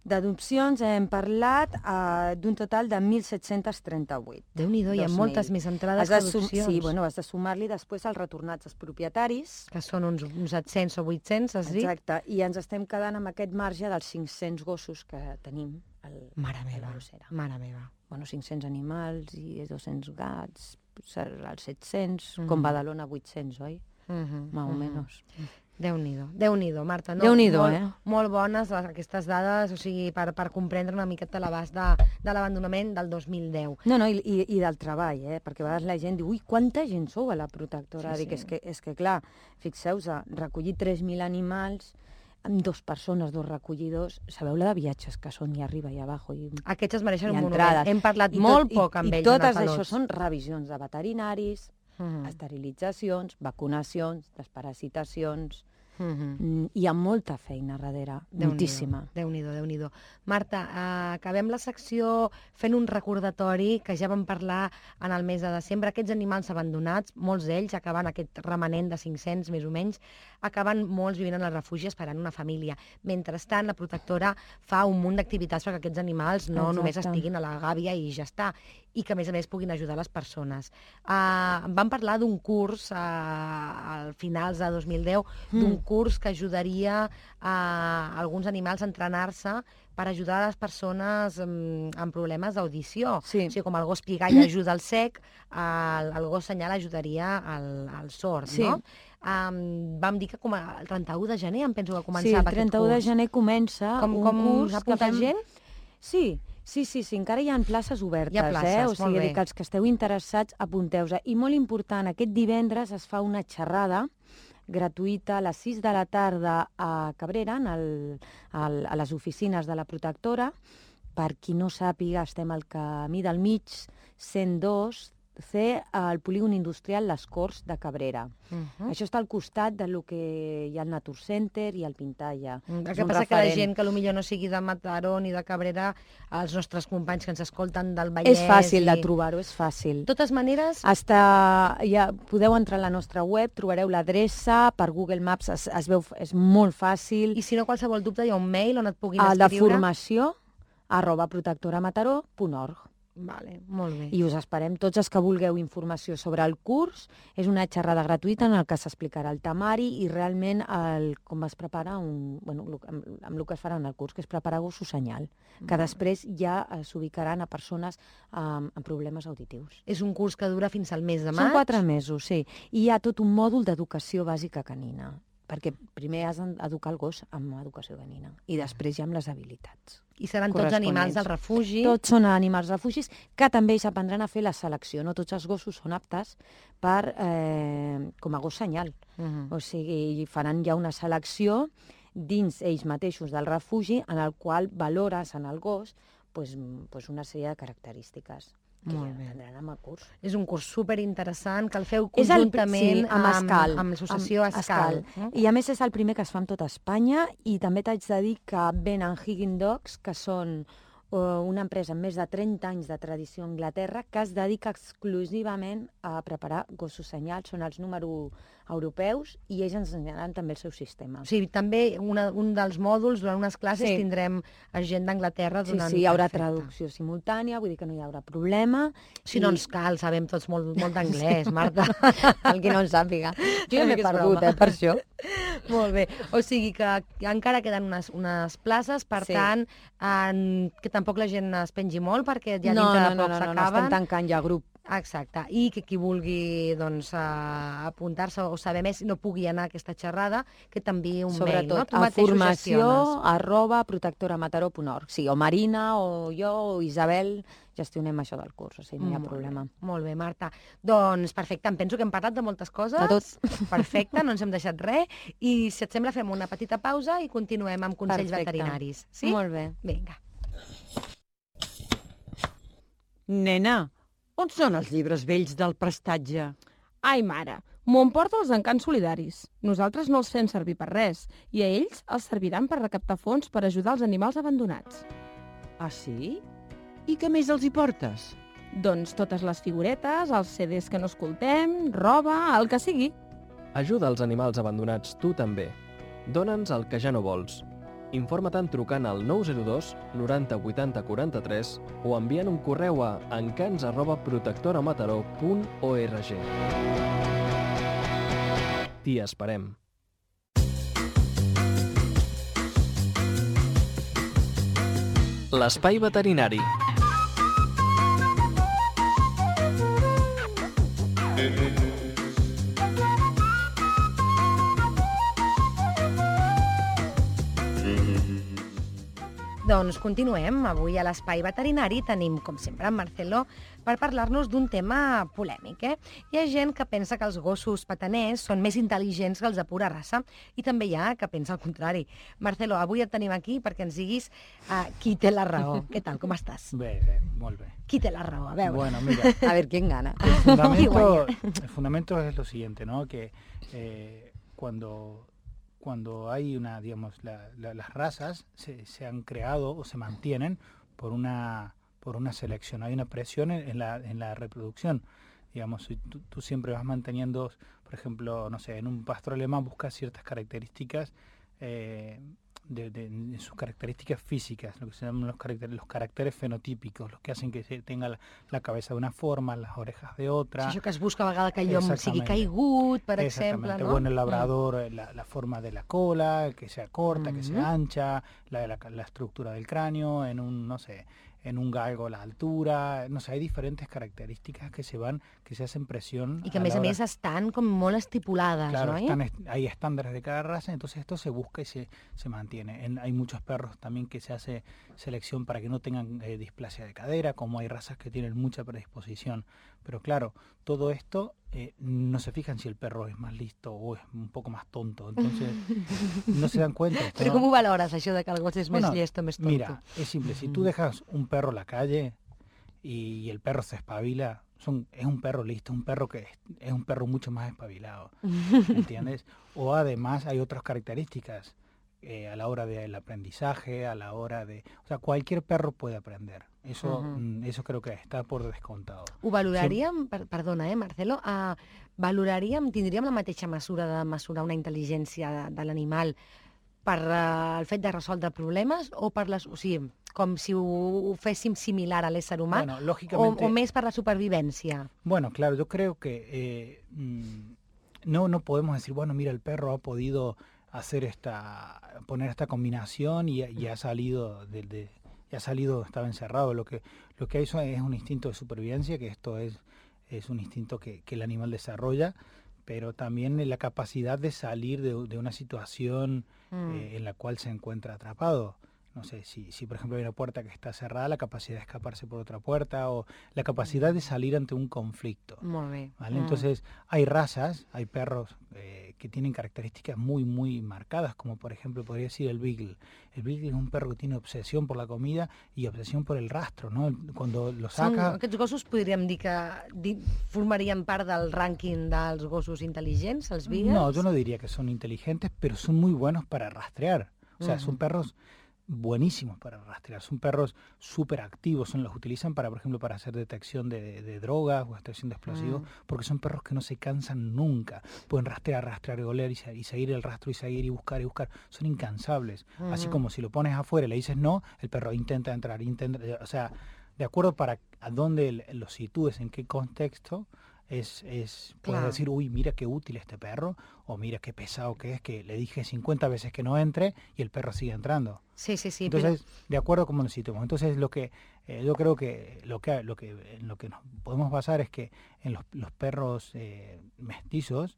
S4: D'adopcions hem parlat uh, d'un total de mil set-cents trenta-vuit.
S2: Déu-n'hi-do, hi ha
S4: dos mil.
S2: moltes més entrades
S4: Has de
S2: que
S4: sum-
S2: adopcions.
S4: Sí, bueno, has de sumar-li després els retornats als propietaris.
S2: Que són uns, uns set-cents o vuit-cents, has dit?
S4: Exacte, i ens estem quedant amb aquest marge dels cinc-cents gossos que tenim al,
S2: Mare
S4: a la
S2: meva,
S4: grossera.
S2: mare meva.
S4: Bueno, cinc-cents animals i dos-cents gats, serà els set-cents,
S2: Mhm.
S4: com Badalona vuit-cents, oi?
S2: Uh -huh,
S4: Más o
S2: uh -huh.
S4: menos.
S2: Déu-n'hi-do, Déu-n'hi-do, Marta. No,
S4: Déu-n'hi-do,
S2: molt,
S4: eh?
S2: Molt bones les, aquestes dades, o sigui, per, per comprendre una miqueta l'abast de, de l'abandonament del dos mil deu.
S4: No, no, i, i, i del treball, eh? Perquè a vegades la gent diu, ui, quanta gent sou a la protectora?
S2: Sí,
S4: Dic,
S2: sí.
S4: és que, és que clar, fixeu-vos, recollir tres mil animals amb dos persones, dos recollidors, sabeu la de viatges que són i arriba i abajo i,
S2: Aquests es mereixen
S4: i
S2: un
S4: entrades.
S2: monument. Hem parlat
S4: I
S2: molt
S4: tot,
S2: poc
S4: i,
S2: amb
S4: i
S2: ells.
S4: totes
S2: en el
S4: això
S2: Pelots.
S4: són revisions de veterinaris,
S2: Mhm.
S4: esterilitzacions, vacunacions, desparasitacions.
S2: Mhm.
S4: Mm, Hi ha molta feina darrere,
S2: Déu-n'hi-do,
S4: moltíssima.
S2: Déu-n'hi-do, Déu-n'hi-do. Marta, eh, acabem la secció fent un recordatori que ja vam parlar en el mes de desembre. Aquests animals abandonats, molts d'ells acaben aquest remanent de cinc-cents més o menys, acaben molts vivint en el refugi esperant una família. Mentrestant, la protectora fa un munt d'activitats perquè aquests animals no
S4: Exacte.
S2: només estiguin a la gàbia i ja està, i que a més a més puguin ajudar les persones. Uh, vam parlar d'un curs uh, al finals de dos mil deu,
S4: Mm.
S2: d'un curs que ajudaria a alguns animals a entrenar-se per ajudar a les persones um, amb problemes d'audició.
S4: Sí.
S2: O sigui, com el gos pigall ajuda al sec, el, el gos senyal ajudaria al, al sord,
S4: Sí.
S2: no? Um, vam dir que com a, el trenta-u de gener em penso que
S4: Sí,
S2: començava
S4: el
S2: aquest
S4: trenta-u de
S2: curs.
S4: gener comença
S2: Com,
S4: un
S2: com
S4: curs
S2: s'ha
S4: que
S2: apuntat
S4: fem...
S2: gent?
S4: Sí, sí, sí, sí, encara hi ha places obertes,
S2: Hi ha places,
S4: eh? O
S2: molt
S4: sigui,
S2: bé.
S4: que els que esteu interessats, apunteu-vos. I molt important, aquest divendres es fa una xerrada gratuïta a les sis de la tarda a Cabrera, en el, al, a les oficines de la protectora. Per qui no sàpiga, estem al camí del mig, cent dos, C al polígon industrial Les Corts de Cabrera.
S2: Uh -huh.
S4: Això està al costat de lo que hi ha al Natur Center i al Pintalla.
S2: El que passa que la gent que potser no sigui de Mataró ni de Cabrera, els nostres companys que ens escolten del Vallès...
S4: És fàcil
S2: i...
S4: de trobar-ho, és fàcil.
S2: De totes maneres...
S4: Hasta, ja podeu entrar a la nostra web, trobareu l'adreça, per Google Maps es, es veu, és molt fàcil.
S2: I si no, qualsevol dubte, hi ha un mail on et puguin
S4: El
S2: escriure?
S4: de formació, arroba protectoramataró punt org.
S2: Vale, molt bé.
S4: I us esperem tots els que vulgueu informació sobre el curs. És una xerrada gratuïta en el que s'explicarà el temari i realment el, com es prepara un, bueno, amb, amb el que es farà en el curs, que és preparar gossos senyal, que
S2: Molt
S4: després ja eh, s'ubicaran a persones amb, amb problemes auditius.
S2: És un curs que dura fins al mes de maig?
S4: Són quatre mesos, sí. I hi ha tot un mòdul d'educació bàsica canina, perquè primer has d'educar el gos amb educació canina i després ja amb les habilitats.
S2: I seran tots animals del refugi?
S4: Tots són animals refugis que també ells aprendran a fer la selecció. No tots els gossos són aptes per, eh, com a gos senyal.
S2: Uh -huh.
S4: O sigui, faran ja una selecció dins ells mateixos del refugi en el qual valores en el gos pues, pues una sèrie de característiques que
S2: Molt
S4: ja
S2: bé.
S4: tindran amb el curs.
S2: És un curs superinteressant que el feu
S4: És el-
S2: conjuntament
S4: sí, amb Escal.
S2: amb, amb l'associació
S4: Amb
S2: Escal.
S4: Escal. I a més és el primer que es fa en tota Espanya i també t'haig de dir que venen Higgin Dogs, que són uh, una empresa amb més de trenta anys de tradició a Anglaterra que es dedica exclusivament a preparar gossos senyals, són els número europeus i ells ens ensenyaran també el seu sistema.
S2: O sigui, també una, un dels mòduls, durant unes classes,
S4: Sí.
S2: tindrem gent d'Anglaterra
S4: Sí,
S2: donant...
S4: sí, hi haurà
S2: Perfecte.
S4: traducció simultània, vull dir que no hi haurà problema.
S2: Si no ens cal, sabem tots molt, molt d'anglès, Marta.
S4: El que no en sàpiga. Jo ja m'he
S2: És
S4: perdut,
S2: broma.
S4: eh, per això.
S2: Molt bé. O sigui que encara queden unes, unes places, per
S4: Sí.
S2: tant, en, que tampoc la gent es pengi molt, perquè ja
S4: no,
S2: dintre
S4: no,
S2: de
S4: no,
S2: poc
S4: no, no, no,
S2: s'acaben.
S4: estem tancant ja grup.
S2: Exacte. I que qui vulgui doncs, uh, apuntar-se o saber més no pugui anar a aquesta xerrada, que t'enviï un mail, no?
S4: Sobretot
S2: Tu
S4: a
S2: mateix ho
S4: formació
S2: gestiones.
S4: arroba protectoramataró punt org. Sí, o Marina, o jo, o Isabel, gestionem això del curs, o sigui, no hi ha
S2: Molt
S4: problema.
S2: Bé, molt bé, Marta. Doncs perfecte, em penso que hem parlat de moltes coses.
S4: De tot.
S2: Perfecte, no ens hem deixat res. I si et sembla fem una petita pausa i continuem amb consells
S4: Perfecte.
S2: veterinaris. Sí?
S4: Molt bé.
S2: Vinga.
S6: Nena, on són els llibres vells del prestatge?
S7: Ai, mare, m'ho emporta els encants solidaris. Nosaltres no els fem servir per res i a ells els serviran per recaptar fons per ajudar els animals abandonats.
S6: Ah, sí? I què més els hi portes?
S7: Doncs totes les figuretes, els C Ds que no escoltem, roba, el que sigui.
S1: Ajuda els animals abandonats tu també. Dóna'ns el que ja no vols. Informa-te'n trucant al nou zero dos noranta vuitanta quaranta-tres o enviant un correu a encants arroba protectoramataró punt org. T'hi esperem. L'espai veterinari.
S2: Doncs continuem. Avui a l'Espai Veterinari tenim, com sempre, en Marcelo per parlar-nos d'un tema polèmic. Eh? Hi ha gent que pensa que els gossos petaners són més intel·ligents que els de pura raça i també hi ha que pensa el contrari. Marcelo, avui et tenim aquí perquè ens diguis uh, qui té la raó. Què tal, com estàs?
S8: Bé, bé, molt bé.
S2: Qui té la raó? A veure.
S8: Bueno, mira,
S4: A ver quién gana.
S8: el fundamento, el fundamento es lo siguiente, ¿no? Que eh, cuando... cuando hay una, digamos, la, la, las razas se, se han creado o se mantienen por una, por una selección, hay una presión en, en, la, en la reproducción. Digamos, si tú, tú siempre vas manteniendo, por ejemplo, no sé, en un pastor alemán buscas ciertas características, eh, de, de, de sus características físicas, lo que se llaman los caracteres, los caracteres fenotípicos, los que hacen que se tenga la, la cabeza de una forma, las orejas de otra.
S2: Sí, això que es busca a vegada que el llom sigui
S8: Exactamente.
S2: caigut, per exemple,
S8: Exactamente.
S2: no?
S8: Bueno, el labrador, la, la forma de la cola, que sea corta, que sea ancha, la, la, la estructura del cráneo, en un, no sé, en un galgo la altura, no sé, hay diferentes características que se van, que se hacen presión.
S2: I que a
S8: a
S2: més
S8: la
S2: a
S8: hora-
S2: més estan com molt estipulades,
S8: Claro,
S2: no?
S8: están, est- hay estándares de cada raza, entonces esto se busca y se, se mantiene. En- hay muchos perros también que se hace selección para que no tengan eh, displasia de cadera, como hay razas que tienen mucha predisposición. Pero claro, todo esto eh, no se fijan si el perro es más listo o es un poco más tonto, entonces no se dan cuenta. Esto,
S2: Però
S8: ¿no?
S2: com ho valores, això de que el gos és
S8: Bueno,
S2: més llest o més tonto?
S8: Mira, es simple, si tú dejas un perro en la calle y el perro se espabila, son es un perro listo, un perro que es, es un perro mucho más espabilado, ¿entiendes? O además hay otras características eh, a la hora del aprendizaje, a la hora de... O sea, cualquier perro puede aprender. Eso,
S2: Uh-huh.
S8: mm, eso creo que està per descomptado.
S2: Ho valoraríem, per, perdona, eh, Marcelo, uh, valoraríem, tindríem la mateixa mesura de mesurar una intel·ligència de, de l'animal per uh, el fet de resoldre problemes o per les... O sigui, com si ho, ho féssim similar a l'ésser humà
S8: Bueno,
S2: o,
S8: lógicamente...
S2: o més per la supervivència?
S8: Bueno, claro, yo creo que eh, mm, no, no podemos decir, bueno, mira, el perro ha podido hacer esta, poner esta combinación y, y ha salido de, de y ha salido, estaba encerrado. Lo que lo que hay eso es un instinto de supervivencia, que esto es, es un instinto que, que el animal desarrolla, pero también la capacidad de salir de, de una situación
S2: Mm.
S8: eh, en la cual se encuentra atrapado. No sé, si, si por ejemplo hay una puerta que está cerrada, la capacidad de escaparse por otra puerta o la capacidad de salir ante un conflicto.
S2: Molt bé.
S8: ¿Vale?
S2: Mm.
S8: Entonces, hay razas, hay perros eh, que tienen características muy, muy marcadas, como por ejemplo podría decir el Beagle. El Beagle es un perro que tiene obsesión por la comida y obsesión por el rastro, ¿no? Cuando lo
S2: Són,
S8: saca...
S2: aquests gossos podríem dir que di, formarien part del rànquing dels gossos intel·ligents, els Beagles?
S8: No, yo no diría que son inteligentes, pero son muy buenos para rastrear. O sea,
S2: Ujú.
S8: son perros buenísimos para rastrear. Son perros súper activos, son, los utilizan para, por ejemplo, para hacer detección de, de, de drogas o detección de explosivos,
S2: Mm.
S8: porque son perros que no se cansan nunca. Pueden rastrear, rastrear y oler y, se- y seguir el rastro y seguir y buscar y buscar. Son incansables. Así
S2: Ujú.
S8: como si lo pones afuera y le dices no, el perro intenta entrar, intenta... O sea, de acuerdo para a dónde el- lo sitúes, en qué contexto, es, es puedes
S2: Claro.
S8: decir, uy, mira qué útil este perro, o mira qué pesado que es, que le dije cincuenta veces que no entre y el perro sigue entrando.
S2: Sí, sí, sí.
S8: Entonces, de acuerdo a cómo lo situemos. Entonces, lo que eh, yo creo que lo que lo que en lo que nos podemos basar es que en los, los perros eh, mestizos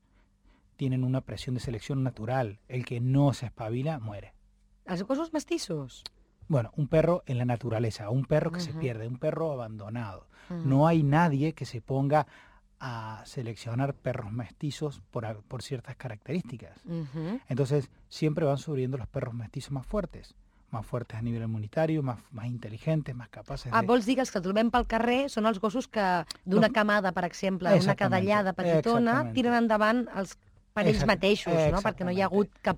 S8: tienen una presión de selección natural. El que no se espabila muere.
S2: però els gossos mestissos?
S8: Bueno, un perro en la naturaleza, un perro que se
S2: Ujú.
S8: pierde, un perro abandonado.
S2: Mm.
S8: No hay nadie que se ponga a seleccionar perros mestizos por, a- por ciertas características.
S2: Mhm.
S8: Entonces, siempre van subiendo los perros mestizos más fuertes, más fuertes a nivel inmunitario, más, más inteligentes, más capaces
S2: Ah,
S8: de...
S2: vols dir que els que trobem pel carrer són els gossos que d'una
S8: Los-
S2: camada, per exemple, una
S8: Exactament,
S2: cadellada petitona,
S8: exactament.
S2: tiren endavant els per ells
S8: Exact-
S2: mateixos, no? Perquè no hi ha hagut
S8: exactamente.
S2: cap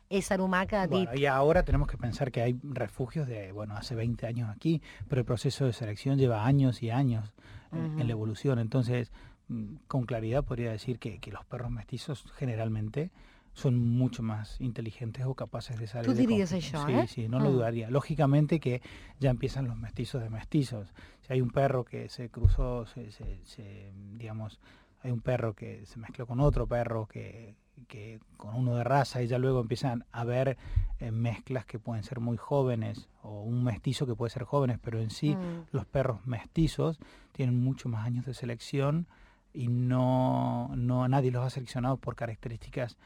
S2: ésser humà que ha dit...
S8: Bueno, y ahora tenemos que pensar que hay refugios de, bueno, hace veinte años aquí, pero el proceso de selección lleva años y años eh,
S2: Ujú.
S8: en la evolución. Entonces, mm, con claridad podría decir que, que los perros mestizos generalmente son mucho más inteligentes o capaces de salir
S2: Tú
S8: de
S2: dirías
S8: conflictos.
S2: eso,
S8: Sí,
S2: ¿eh?
S8: sí, no lo
S2: Ah.
S8: dudaría. Lógicamente que ya empiezan los mestizos de mestizos. Si hay un perro que se cruzó, se, se- se, digamos, hay un perro que se mezcló con otro perro que, que con uno de raza y ya luego empiezan a haber eh, mezclas que pueden ser muy jóvenes o un mestizo que puede ser jóvenes, pero en sí
S2: Mm.
S8: los perros mestizos tienen mucho más años de selección y no, no nadie los ha seleccionado por características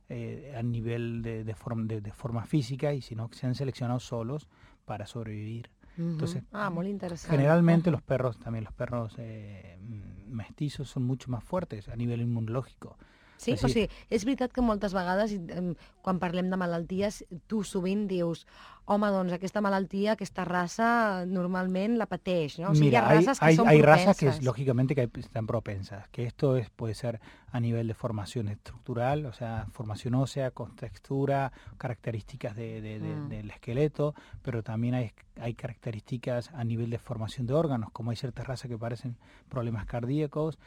S8: eh, a nivel de, de, form- de- de forma física, y sino que se han seleccionado solos para sobrevivir.
S2: Mhm.
S8: Entonces,
S2: ah, molt interessant.
S8: Generalmente
S2: Ujú.
S8: los perros, también los perros eh, mm, mestizos son mucho más fuertes a nivel inmunológico.
S2: Sí,
S8: És
S2: o
S8: a dir-
S2: sigui, és veritat que moltes vegades, em, quan parlem de malalties, tu sovint dius, home, doncs aquesta malaltia, aquesta raça, normalment la pateix, no? O sigui, hi ha
S8: Mira, hay,
S2: races que
S8: hay,
S2: són
S8: hay
S2: propenses.
S8: razas que es- lógicamente que hay- están propensas, que esto es puede ser a nivel de formación estructural, o sea, formación ósea, con textura, características de, de- de-
S2: Mm.
S8: del esqueleto, pero también hay, hay características a nivel de formación de órganos, como hay ciertas razas que parecen problemas cardíacos,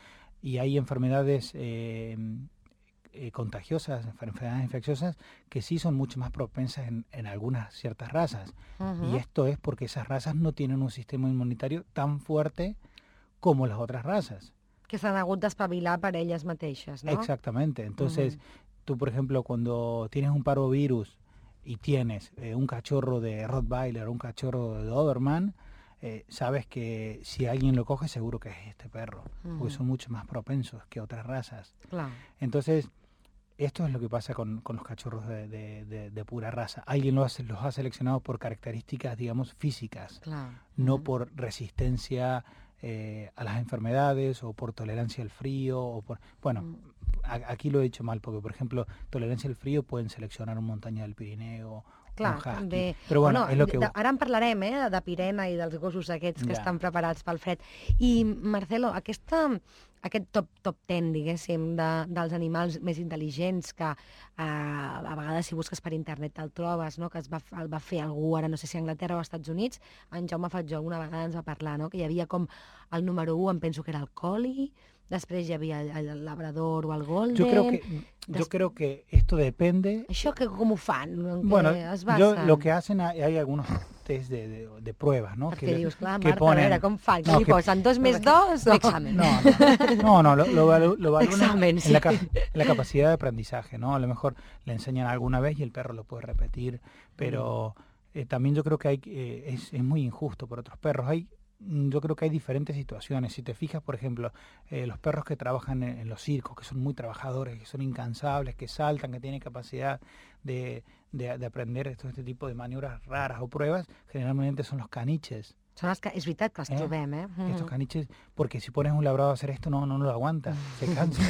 S8: y hay enfermedades eh, eh, contagiosas, enfermedades infecciosas, que sí son mucho más propensas en, en algunas ciertas razas.
S2: Mhm.
S8: Y esto es porque esas razas no tienen un sistema inmunitario tan fuerte como las otras razas.
S2: Que s'han hagut d'espavilar per elles mateixes, no?
S8: Exactamente. Entonces,
S2: Ujú.
S8: tú, por ejemplo, cuando tienes un parvovirus y tienes eh, un cachorro de Rottweiler o un cachorro de Doberman, eh, sabes que si alguien lo coge, seguro que es este perro,
S2: Ujú.
S8: porque son mucho más propensos que otras razas.
S2: Clar.
S8: Entonces, esto es lo que pasa con, con los cachorros de, de- de- de pura raza. Alguien los ha, los ha seleccionado por características, digamos, físicas,
S2: Clar.
S8: no
S2: Mhm.
S8: por resistencia eh, a las enfermedades o por tolerancia al frío. O por, bueno,
S2: Mm.
S8: a- aquí lo he dicho mal, porque, por ejemplo, tolerancia al frío pueden seleccionar un montaña del Pirineo
S2: Clar,
S8: un husky.
S2: també...
S8: Però bueno, és lo que...
S2: de, ara en parlarem, eh, de Pirena i dels gossos aquests que
S8: Ja.
S2: estan preparats pel fred. I, Marcelo, aquesta, aquest top, top ten, diguéssim, de, dels animals més intel·ligents que eh, a vegades si busques per internet te'l trobes, no? Que es va, el va fer algú, ara no sé si a Anglaterra o als Estats Units, en Jaume Fatjó una vegada ens va parlar, no? Que hi havia com el número u, em penso que era el Collie, després hi havia el, el Labrador o el Golden...
S8: Yo creo que, yo
S2: Des...
S8: creo que esto depende...
S2: Això que com ho fan? En
S8: Bueno,
S2: què es
S8: yo,
S2: basen?
S8: lo que hacen, hay, hay algunos test de, de, de pruebas, ¿no?
S2: Perquè
S8: Que,
S2: dius, clar,
S8: que
S2: Marta,
S8: ponen-
S2: a veure, com fan?
S8: No,
S2: No, li
S8: que-
S2: posen dos més dos? O...
S4: Examen.
S8: No, no, no, no, lo, lo, valu- lo evalúan en-
S2: Examen,
S8: en,
S2: sí.
S8: la, cap- en la capacidad de aprendizaje, ¿no? A lo mejor le enseñan alguna vez y el perro lo puede repetir, pero eh, también yo creo que hay eh, es, es muy injusto por otros perros. Hay mm, yo creo que hay diferentes situaciones. Si te fijas, por ejemplo, eh, los perros que trabajan en, en los circos, que son muy trabajadores, que son incansables, que saltan, que tienen capacidad de, de, de aprender todo este tipo de maniobras raras o pruebas, generalmente son los caniches.
S2: Són els que, és veritat que els
S8: Eh?
S2: trobem, eh? Mm.
S8: Estos caniches, porque si pones un labrador a hacer esto, no, no lo aguanta, se cansa,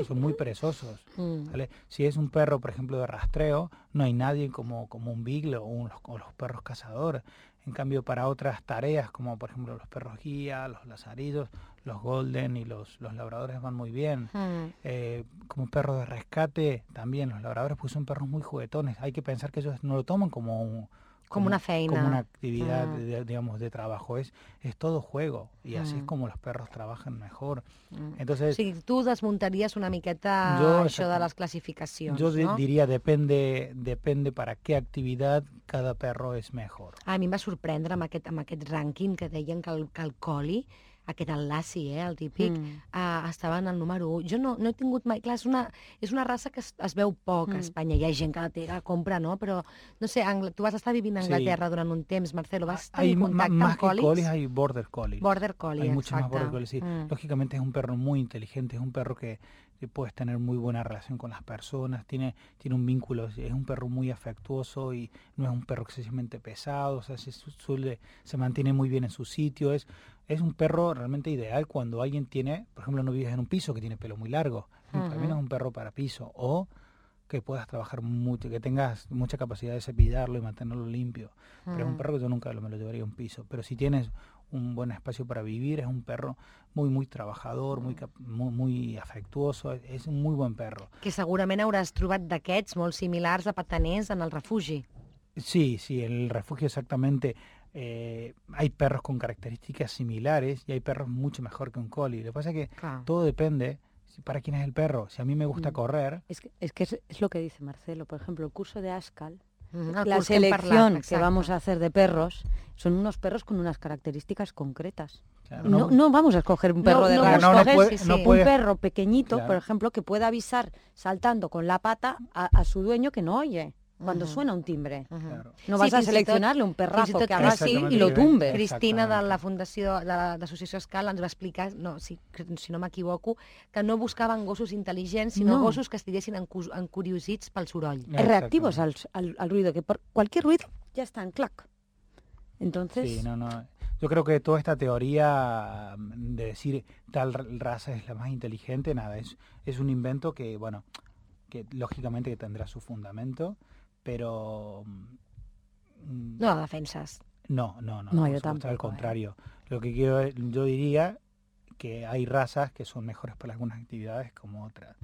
S8: son muy perezosos.
S2: Mm.
S8: ¿Vale? Si es un perro, por ejemplo, de rastreo, no hay nadie como, como un beagle o, un- o los perros cazadores. En cambio, para otras tareas, como por ejemplo los perros guía, los lazarillos, los golden y los, los labradores van muy bien.
S2: Mm.
S8: Eh, como perros de rescate, también los labradores pues son perros muy juguetones. Hay que pensar que ellos no lo toman como un...
S2: Como una feina.
S8: Como una actividad,
S2: Mm.
S8: de- digamos, de trabajo. Es, es todo juego. Y así es
S2: Mm.
S8: como los perros trabajan mejor.
S2: Mm. O
S8: Entonces,
S2: sigui, tu desmuntaries una miqueta
S8: Jo,
S2: això de
S8: exacte.
S2: les classificacions,
S8: yo di-
S2: no?
S8: diría, depende, depende para qué actividad cada perro es mejor.
S2: A mi em va sorprendre amb aquest, amb aquest rànquing que deien que el, que el Collie, aquest el Lassie, eh, el típic,
S4: Mm.
S2: uh, estava en el número u. Jo no, no he tingut mai... Clar, és una, és una raça que es, es veu poc a
S4: Mm.
S2: Espanya. Hi ha gent que la té, que la compra, no? Però, no sé, Angl tu vas estar vivint a
S8: Sí.
S2: Anglaterra durant un temps, Marcelo. Vas
S8: Hay
S2: tenir
S8: ma-
S2: contacte
S8: más
S2: amb
S8: que
S2: collies?
S8: collies, hay border collies.
S2: Border Collie,
S8: Hay muchos más
S2: exacte.
S8: border collies, sí.
S2: Mm.
S8: Lógicamente es un perro muy inteligente, es un perro que, que puedes tener muy buena relación con las personas, tiene, tiene un vínculo, es un perro muy afectuoso y no es un perro excesivamente pesado, o sea, se, su- suele, se mantiene muy bien en su sitio, es, es un perro realmente ideal cuando alguien tiene, por ejemplo, no vives en un piso que tiene pelo muy largo, también es un perro para piso, o que puedas trabajar mucho, que tengas mucha capacidad de cepillarlo y mantenerlo limpio. Pero es un
S2: Mm.
S8: perro que yo nunca lo- me lo llevaría a un piso. Pero si tienes un buen espacio para vivir, es un perro muy, muy trabajador, muy, cap- muy, muy afectuoso, es, es un muy buen perro.
S2: Que segurament hauràs trobat d'aquests molt similars a pataners en el refugi.
S8: Sí, sí, en el refugio exactamente eh, hay perros con características similares y hay perros mucho mejor que un collie. Lo que pasa es que
S2: Clar.
S8: todo depende si- para quién es el perro. Si a mí me gusta
S4: Mm.
S8: correr,
S4: Es que, es, que es, es lo que dice Marcelo. Por ejemplo, el curso de Ascal,
S2: Mm, el
S4: la
S2: curs que hem
S4: selección
S2: parlat,
S4: que
S2: exacte.
S4: vamos a hacer de perros son unos perros con unas características concretas.
S8: claro,
S4: No, no vamos a escoger un perro
S2: No,
S4: de
S2: no,
S4: raza.
S8: no, no
S2: escoges,
S8: puede-
S2: sí,
S8: no
S2: sí.
S8: puede-
S4: Un perro pequeñito,
S8: Claro.
S4: por ejemplo, que pueda avisar saltando con la pata a, a su dueño que no oye cuando
S2: Ujú.
S4: suena un timbre.
S2: Mhm.
S8: claro.
S4: No
S2: Sí,
S4: vas a
S2: fins i tot-
S4: seleccionarle un
S2: fins i
S4: perrazo
S2: tot
S4: que haga así
S8: Exactamente,
S4: y lo
S8: que-
S4: tumbe.
S2: Cristina de
S8: Exactament.
S2: la Fundació de la- d'Associació Escal ens va explicar, no, si, si no m'equivoco, que no buscaven gossos intel·ligents, sinó
S4: No.
S2: gossos que estiguessin encu- encuriosits pel soroll.
S4: Reactivos al,
S8: Exactamente.
S4: al, al ruido, que por cualquier ruido ya están, clac. Entonces,
S8: Sí, no, no. Yo creo que toda esta teoría mm, de decir tal ra- raza es la más inteligente, nada, es, es un invento que, bueno, que lógicamente que tendrá su fundamento, pero mm,
S2: No la defenses.
S8: no, no, no,
S4: No,
S8: por
S4: yo
S8: supuesto, al
S4: tampoco, ¿eh?
S8: contrario. Lo que quiero, yo diría que hay razas que son mejores para algunas actividades como otras.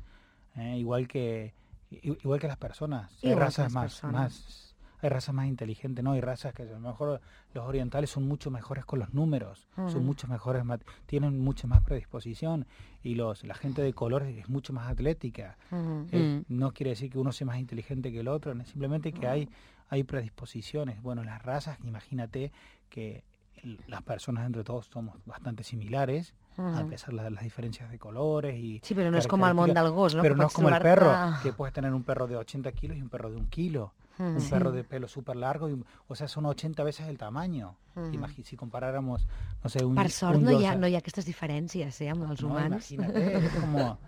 S8: ¿eh? Igual que i- igual que las personas. Hay
S2: Igual que
S8: razas
S2: las
S8: más,
S2: personas.
S8: más hay razas más inteligentes, ¿no? Hay razas que a lo mejor los orientales son mucho mejores con los números,
S2: Ujú.
S8: son mucho mejores, mat- tienen mucha más predisposición y los la gente de color es mucho más atlética.
S2: Mhm.
S8: Eh,
S4: Mm.
S8: No quiere decir que uno sea más inteligente que el otro, no, simplemente que hay, hay predisposiciones. Bueno, las razas, imagínate que el- las personas entre todos somos bastante similares, a
S2: Mhm.
S8: pesar de las diferencias de colores y
S2: Sí, però no és com el món del gos, no?
S8: pero
S2: que
S8: no es
S2: pots
S8: como el
S2: trobar-te-
S8: perro, que puedes tener un perro de ochenta kilos y un perro de un kilo,
S2: Mhm.
S8: un perro de pelo súper largo, y un- o sea, son ochenta veces el tamaño.
S2: Mhm.
S8: Imagi- si comparáramos, no sé, un
S2: Per sort
S8: un
S2: no hi, ha,
S8: Yorkshire-
S2: no hi ha aquestes diferències, eh, amb els
S8: no,
S2: humans.
S8: imagínate, es como,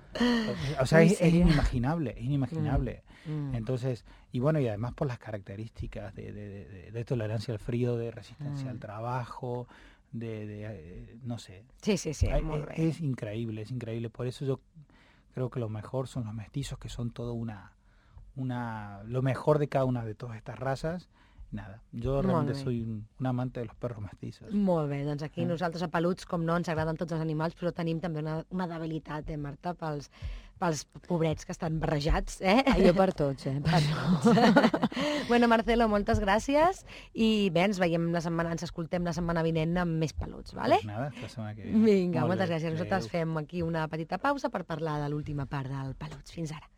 S8: o sea,
S2: Muy
S8: es, es
S2: serio.
S8: inimaginable, es inimaginable.
S2: Mm.
S8: Entonces, y bueno, y además por las características de, de, de- de- de tolerancia al frío, de resistencia
S2: Mm.
S8: al trabajo, de, de, eh, no sé,
S2: Sí, sí, sí,
S8: Ay,
S2: molt
S8: es,
S2: bé.
S8: es increíble, es increíble. Por eso yo creo que lo mejor son los mestizos, que son todo una, una, lo mejor de cada una de todas estas razas. Nada, jo realment soy un, un amante de los perros mestizos.
S2: Molt bé, doncs aquí nosaltres a Peluts, com no, ens agraden tots els animals, però tenim també una, una debilitat, eh, Marta, pels, pels pobrets que estan barrejats, eh?
S4: Ah, jo per tots, eh? Per tots.
S2: Bueno, Marcelo, moltes gràcies i bé, ens veiem la setmana, ens escoltem la setmana vinent amb més Peluts, vale?
S8: Pues nada, la setmana que viene.
S2: Vinga, moltes gràcies. Nosaltres fem aquí una petita pausa per parlar de l'última part del Peluts. Fins ara.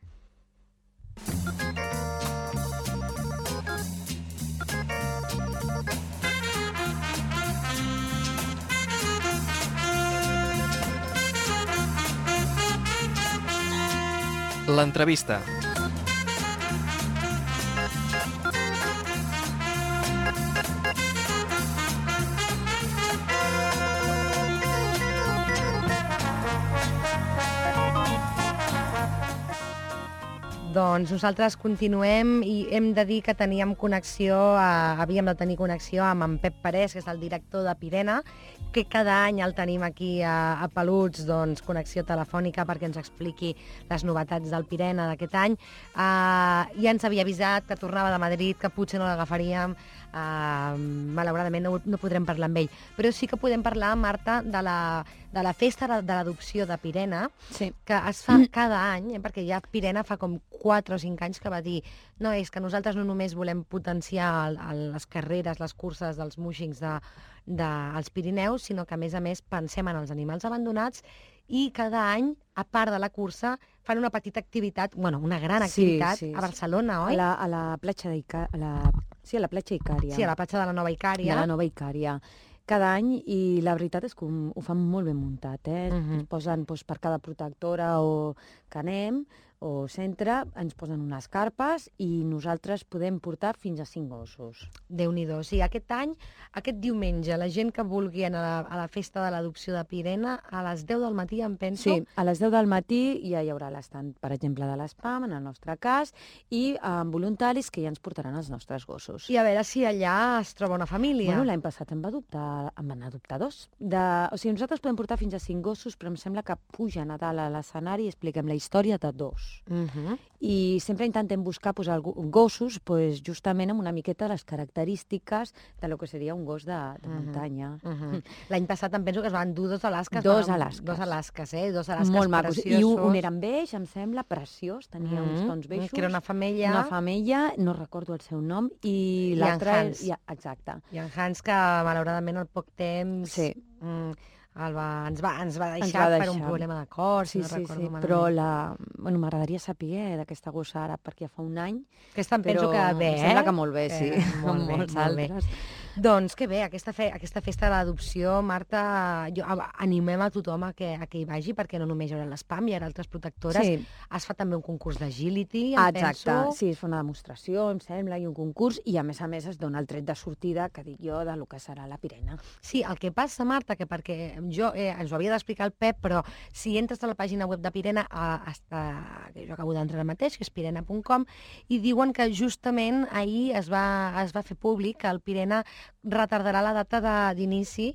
S1: L'entrevista.
S2: Doncs nosaltres continuem i hem de dir que teníem connexió, a, havíem de tenir connexió amb en Pep Parés, que és el director de Pirena, que cada any el tenim aquí a, a Peluts, doncs, connexió telefònica perquè ens expliqui les novetats del Pirena d'aquest any. Uh, ja ens havia avisat que tornava de Madrid, que potser no l'agafaríem, uh, malauradament no, no podrem parlar amb ell. Però sí que podem parlar, Marta, de la, de la festa de l'adopció de Pirena,
S4: sí.
S2: que es fa cada any, eh, perquè ja Pirena fa com quatre o cinc anys que va dir no, és que nosaltres no només volem potenciar el, el, les carreres, les curses dels músics de, de, als Pirineus, sinó que a més a més pensem en els animals abandonats i cada any, a part de la cursa, fan una petita activitat, bueno, una gran activitat
S4: sí, sí,
S2: a Barcelona,
S4: sí.
S2: oi?
S4: A la, a la platja d'Icària. La... Sí, a la platja Icària.
S2: Sí, a la platja de la Nova Icària.
S4: De la Nova Icària. Cada any, i la veritat és que ho fan molt ben muntat, eh? Uh -huh. Ens posen doncs, per cada protectora o que anem, o centre, ens posen unes carpes i nosaltres podem portar fins a cinc gossos.
S2: Déu-n'hi-do. Sí, aquest any, aquest diumenge, la gent que vulgui anar a la, a la festa de l'adopció de Pirena, a les deu del matí, em penso...
S4: Sí, a les deu del matí ja hi haurà l'estand, per exemple, de l'Espam, en el nostre cas, i amb voluntaris que ja ens portaran els nostres gossos.
S2: I a veure si allà es troba una família.
S4: Bueno, l'any passat em va adoptar, em van adoptar dos. De, o sigui, nosaltres podem portar fins a cinc gossos, però em sembla que pugen a dalt a l'escenari i expliquem la història de dos.
S2: Uh -huh.
S4: I sempre intentem buscar pues, gossos pues, justament amb una miqueta les característiques de lo que seria un gos de, de muntanya.
S2: Uh -huh. L'any passat em penso que es van endur dos alasques.
S4: Dos alasques.
S2: Dos alasques, eh? Dos alasques
S4: molt macos.
S2: preciosos.
S4: I un, un era beix, em sembla, preciós, tenia uh -huh. uns tons beixos.
S2: Que era una femella.
S4: Una femella, no recordo el seu nom, i l'altre...
S2: I
S4: ja, exacte.
S2: I en Hans, que malauradament al poc temps...
S4: Sí.
S2: Mm, el va, ens, va, ens va deixar
S4: ens va deixar
S2: per un problema de cor, si
S4: sí,
S2: no
S4: sí,
S2: recordo
S4: sí,
S2: malament.
S4: però la... bueno, m'agradaria saber d'aquesta gossa ara, perquè ja fa un any.
S2: Aquesta em penso que bé, eh?
S4: Em sembla que molt bé, sí.
S2: Eh, molt bé,
S4: molts
S2: molt bé.
S4: altres.
S2: Doncs que bé, aquesta, fe, aquesta festa de l'adopció, Marta, jo, animem a tothom a que, a que hi vagi, perquè no només hi haurà l'Espam, hi haurà altres protectores.
S4: Sí.
S2: Es fa també un concurs d'agility, em
S4: ah, exacte,
S2: penso.
S4: sí, es fa una demostració, em sembla, i un concurs, i a més a més es dona el tret de sortida, que dic jo, de lo que serà la Pirena.
S2: Sí, el que passa, Marta, que perquè jo, eh, ens ho havia d'explicar el Pep, però si entres a la pàgina web de Pirena, a, a, que jo acabo d'entrar ara mateix, que és pirena punt com, i diuen que justament ahir es va, es va fer públic que el Pirena retardarà la data d'inici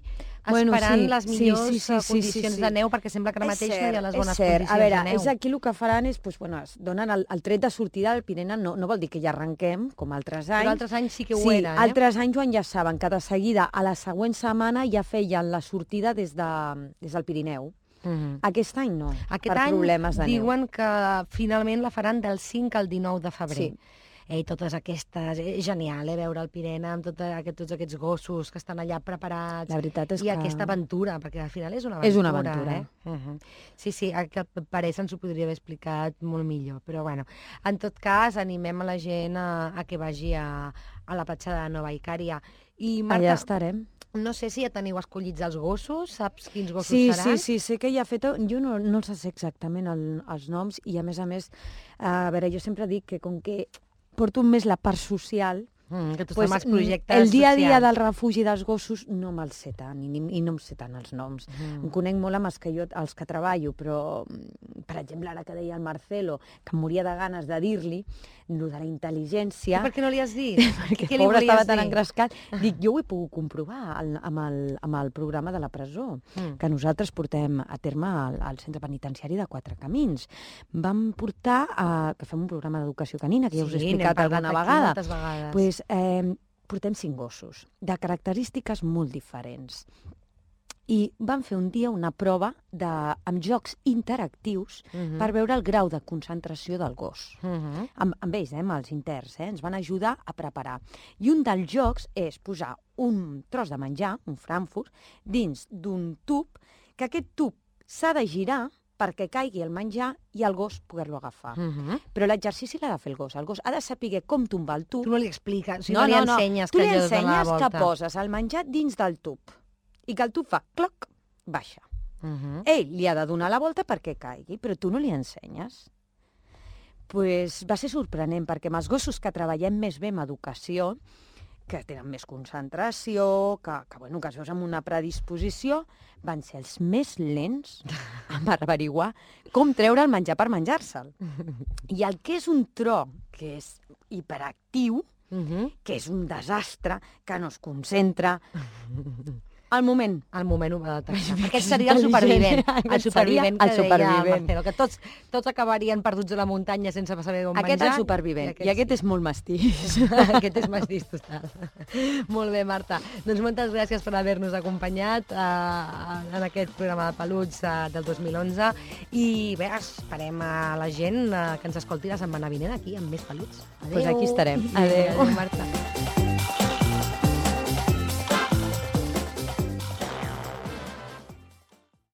S4: bueno,
S2: esperant
S4: sí,
S2: les millors
S4: sí, sí, sí,
S2: condicions
S4: sí, sí, sí.
S2: de neu, perquè sembla que ara mateix
S4: cert,
S2: no hi ha les bones
S4: cert.
S2: condicions
S4: a veure,
S2: de neu.
S4: És aquí el que faran és, pues, bueno, es donen el, el tret de sortida del Pirena, no, no vol dir que ja arrenquem, com altres anys.
S2: Però altres anys sí que ho
S4: sí,
S2: era, eh?
S4: altres anys ho enllaçaven, que de seguida, a la següent setmana, ja feien la sortida des, de, des del Pirineu.
S2: Mm-hmm.
S4: Aquest any no,
S2: Aquest
S4: per
S2: any
S4: problemes de neu.
S2: diuen que finalment la faran del cinc al dinou de febrer.
S4: Sí.
S2: Eh, totes aquestes... És genial, eh, veure el Pirena amb tot aquest, tots aquests gossos que estan allà preparats.
S4: La veritat és
S2: I
S4: que...
S2: aquesta aventura, perquè al final és una aventura.
S4: És una aventura.
S2: Eh? Uh-huh. Sí, sí, que pareix ens ho podria haver explicat molt millor, però bueno. En tot cas, animem a la gent a, a que vagi a, a la platja de Nova Icària. I, Marta,
S4: allà estarem.
S2: No sé si ja teniu escollits els gossos, saps quins gossos
S4: sí,
S2: seran?
S4: Sí, sí, sé que ja ha fet... Jo no, no els sé exactament el, els noms i, a més a més, a veure, jo sempre dic que com que porto més la part social,
S2: mm, que tu
S4: pues,
S2: estàs amb els projectes
S4: el dia a dia
S2: socials.
S4: del refugi dels gossos no me'ls sé tant, i, i no em sé tant els noms. Mm. Em conec molt amb els que, jo, els que treballo, però, per exemple, ara que deia el Marcelo, que em moria de ganes de dir-li, lo de la intel·ligència...
S2: I per què no li has dit?
S4: Perquè
S2: Què
S4: el
S2: li
S4: pobre
S2: volies
S4: estava tan
S2: dir?
S4: engrescat. Dic, jo ho he pogut comprovar al, amb, el, amb el programa de la presó,
S2: Mm.
S4: que nosaltres portem a terme al, al centre penitenciari de Quatre Camins. Vam portar, a, que fem un programa d'educació canina, que ja us he
S2: Sí, n'hem
S4: explicat
S2: parlat
S4: alguna
S2: aquí
S4: vegada.
S2: moltes vegades.
S4: Pues, eh, portem cinc gossos, de característiques molt diferents. I vam fer un dia una prova de, amb jocs interactius
S2: Mhm.
S4: per veure el grau de concentració del gos.
S2: Mhm.
S4: Amb, amb ells, eh, amb els interns, eh, ens van ajudar a preparar. I un dels jocs és posar un tros de menjar, un Frankfurt, dins d'un tub, que aquest tub s'ha de girar perquè caigui el menjar i el gos poder-lo agafar.
S2: Mhm.
S4: Però l'exercici l'ha de fer el gos. El gos ha de saber com tombar el tub.
S2: Tu no li expliques, o sigui, no, no li ensenyes
S4: Tu
S2: que
S4: li
S2: allò dona la
S4: ensenyes
S2: volta.
S4: que poses el menjar dins del tub i que el tub fa cloc, baixa.
S2: Mhm.
S4: Ell li ha de donar la volta perquè caigui, però tu no li ensenyes. Pues va ser sorprenent, perquè amb els gossos que treballem més bé amb educació, que tenen més concentració, que, que, bueno, que es veus amb una predisposició, van ser els més lents en averiguar com treure el menjar per menjar-se'l. I el que és un tro, que és hiperactiu,
S2: Mhm.
S4: que és un desastre, que no es concentra, al moment.
S2: Al moment ho va detectar.
S4: És
S2: Aquest seria el
S4: intel·ligent.
S2: supervivent.
S4: Aquest
S2: El supervivent
S4: seria
S2: que
S4: el supervivent.
S2: deia Marcelo, que tots, tots acabarien perduts a la muntanya sense saber on
S4: Aquest és
S2: menjar.
S4: el supervivent, i aquest
S2: sí.
S4: és molt mastís.
S2: Aquest és mastís total. Molt bé, Marta. Doncs moltes gràcies per haver-nos acompanyat eh, en aquest programa de peluts eh, del dos mil onze. I bé, esperem a la gent eh, que ens escolti la setmana vinent aquí amb més peluts. Adéu.
S4: Pues aquí estarem.
S2: Adéu,
S4: Adéu.
S2: Marta.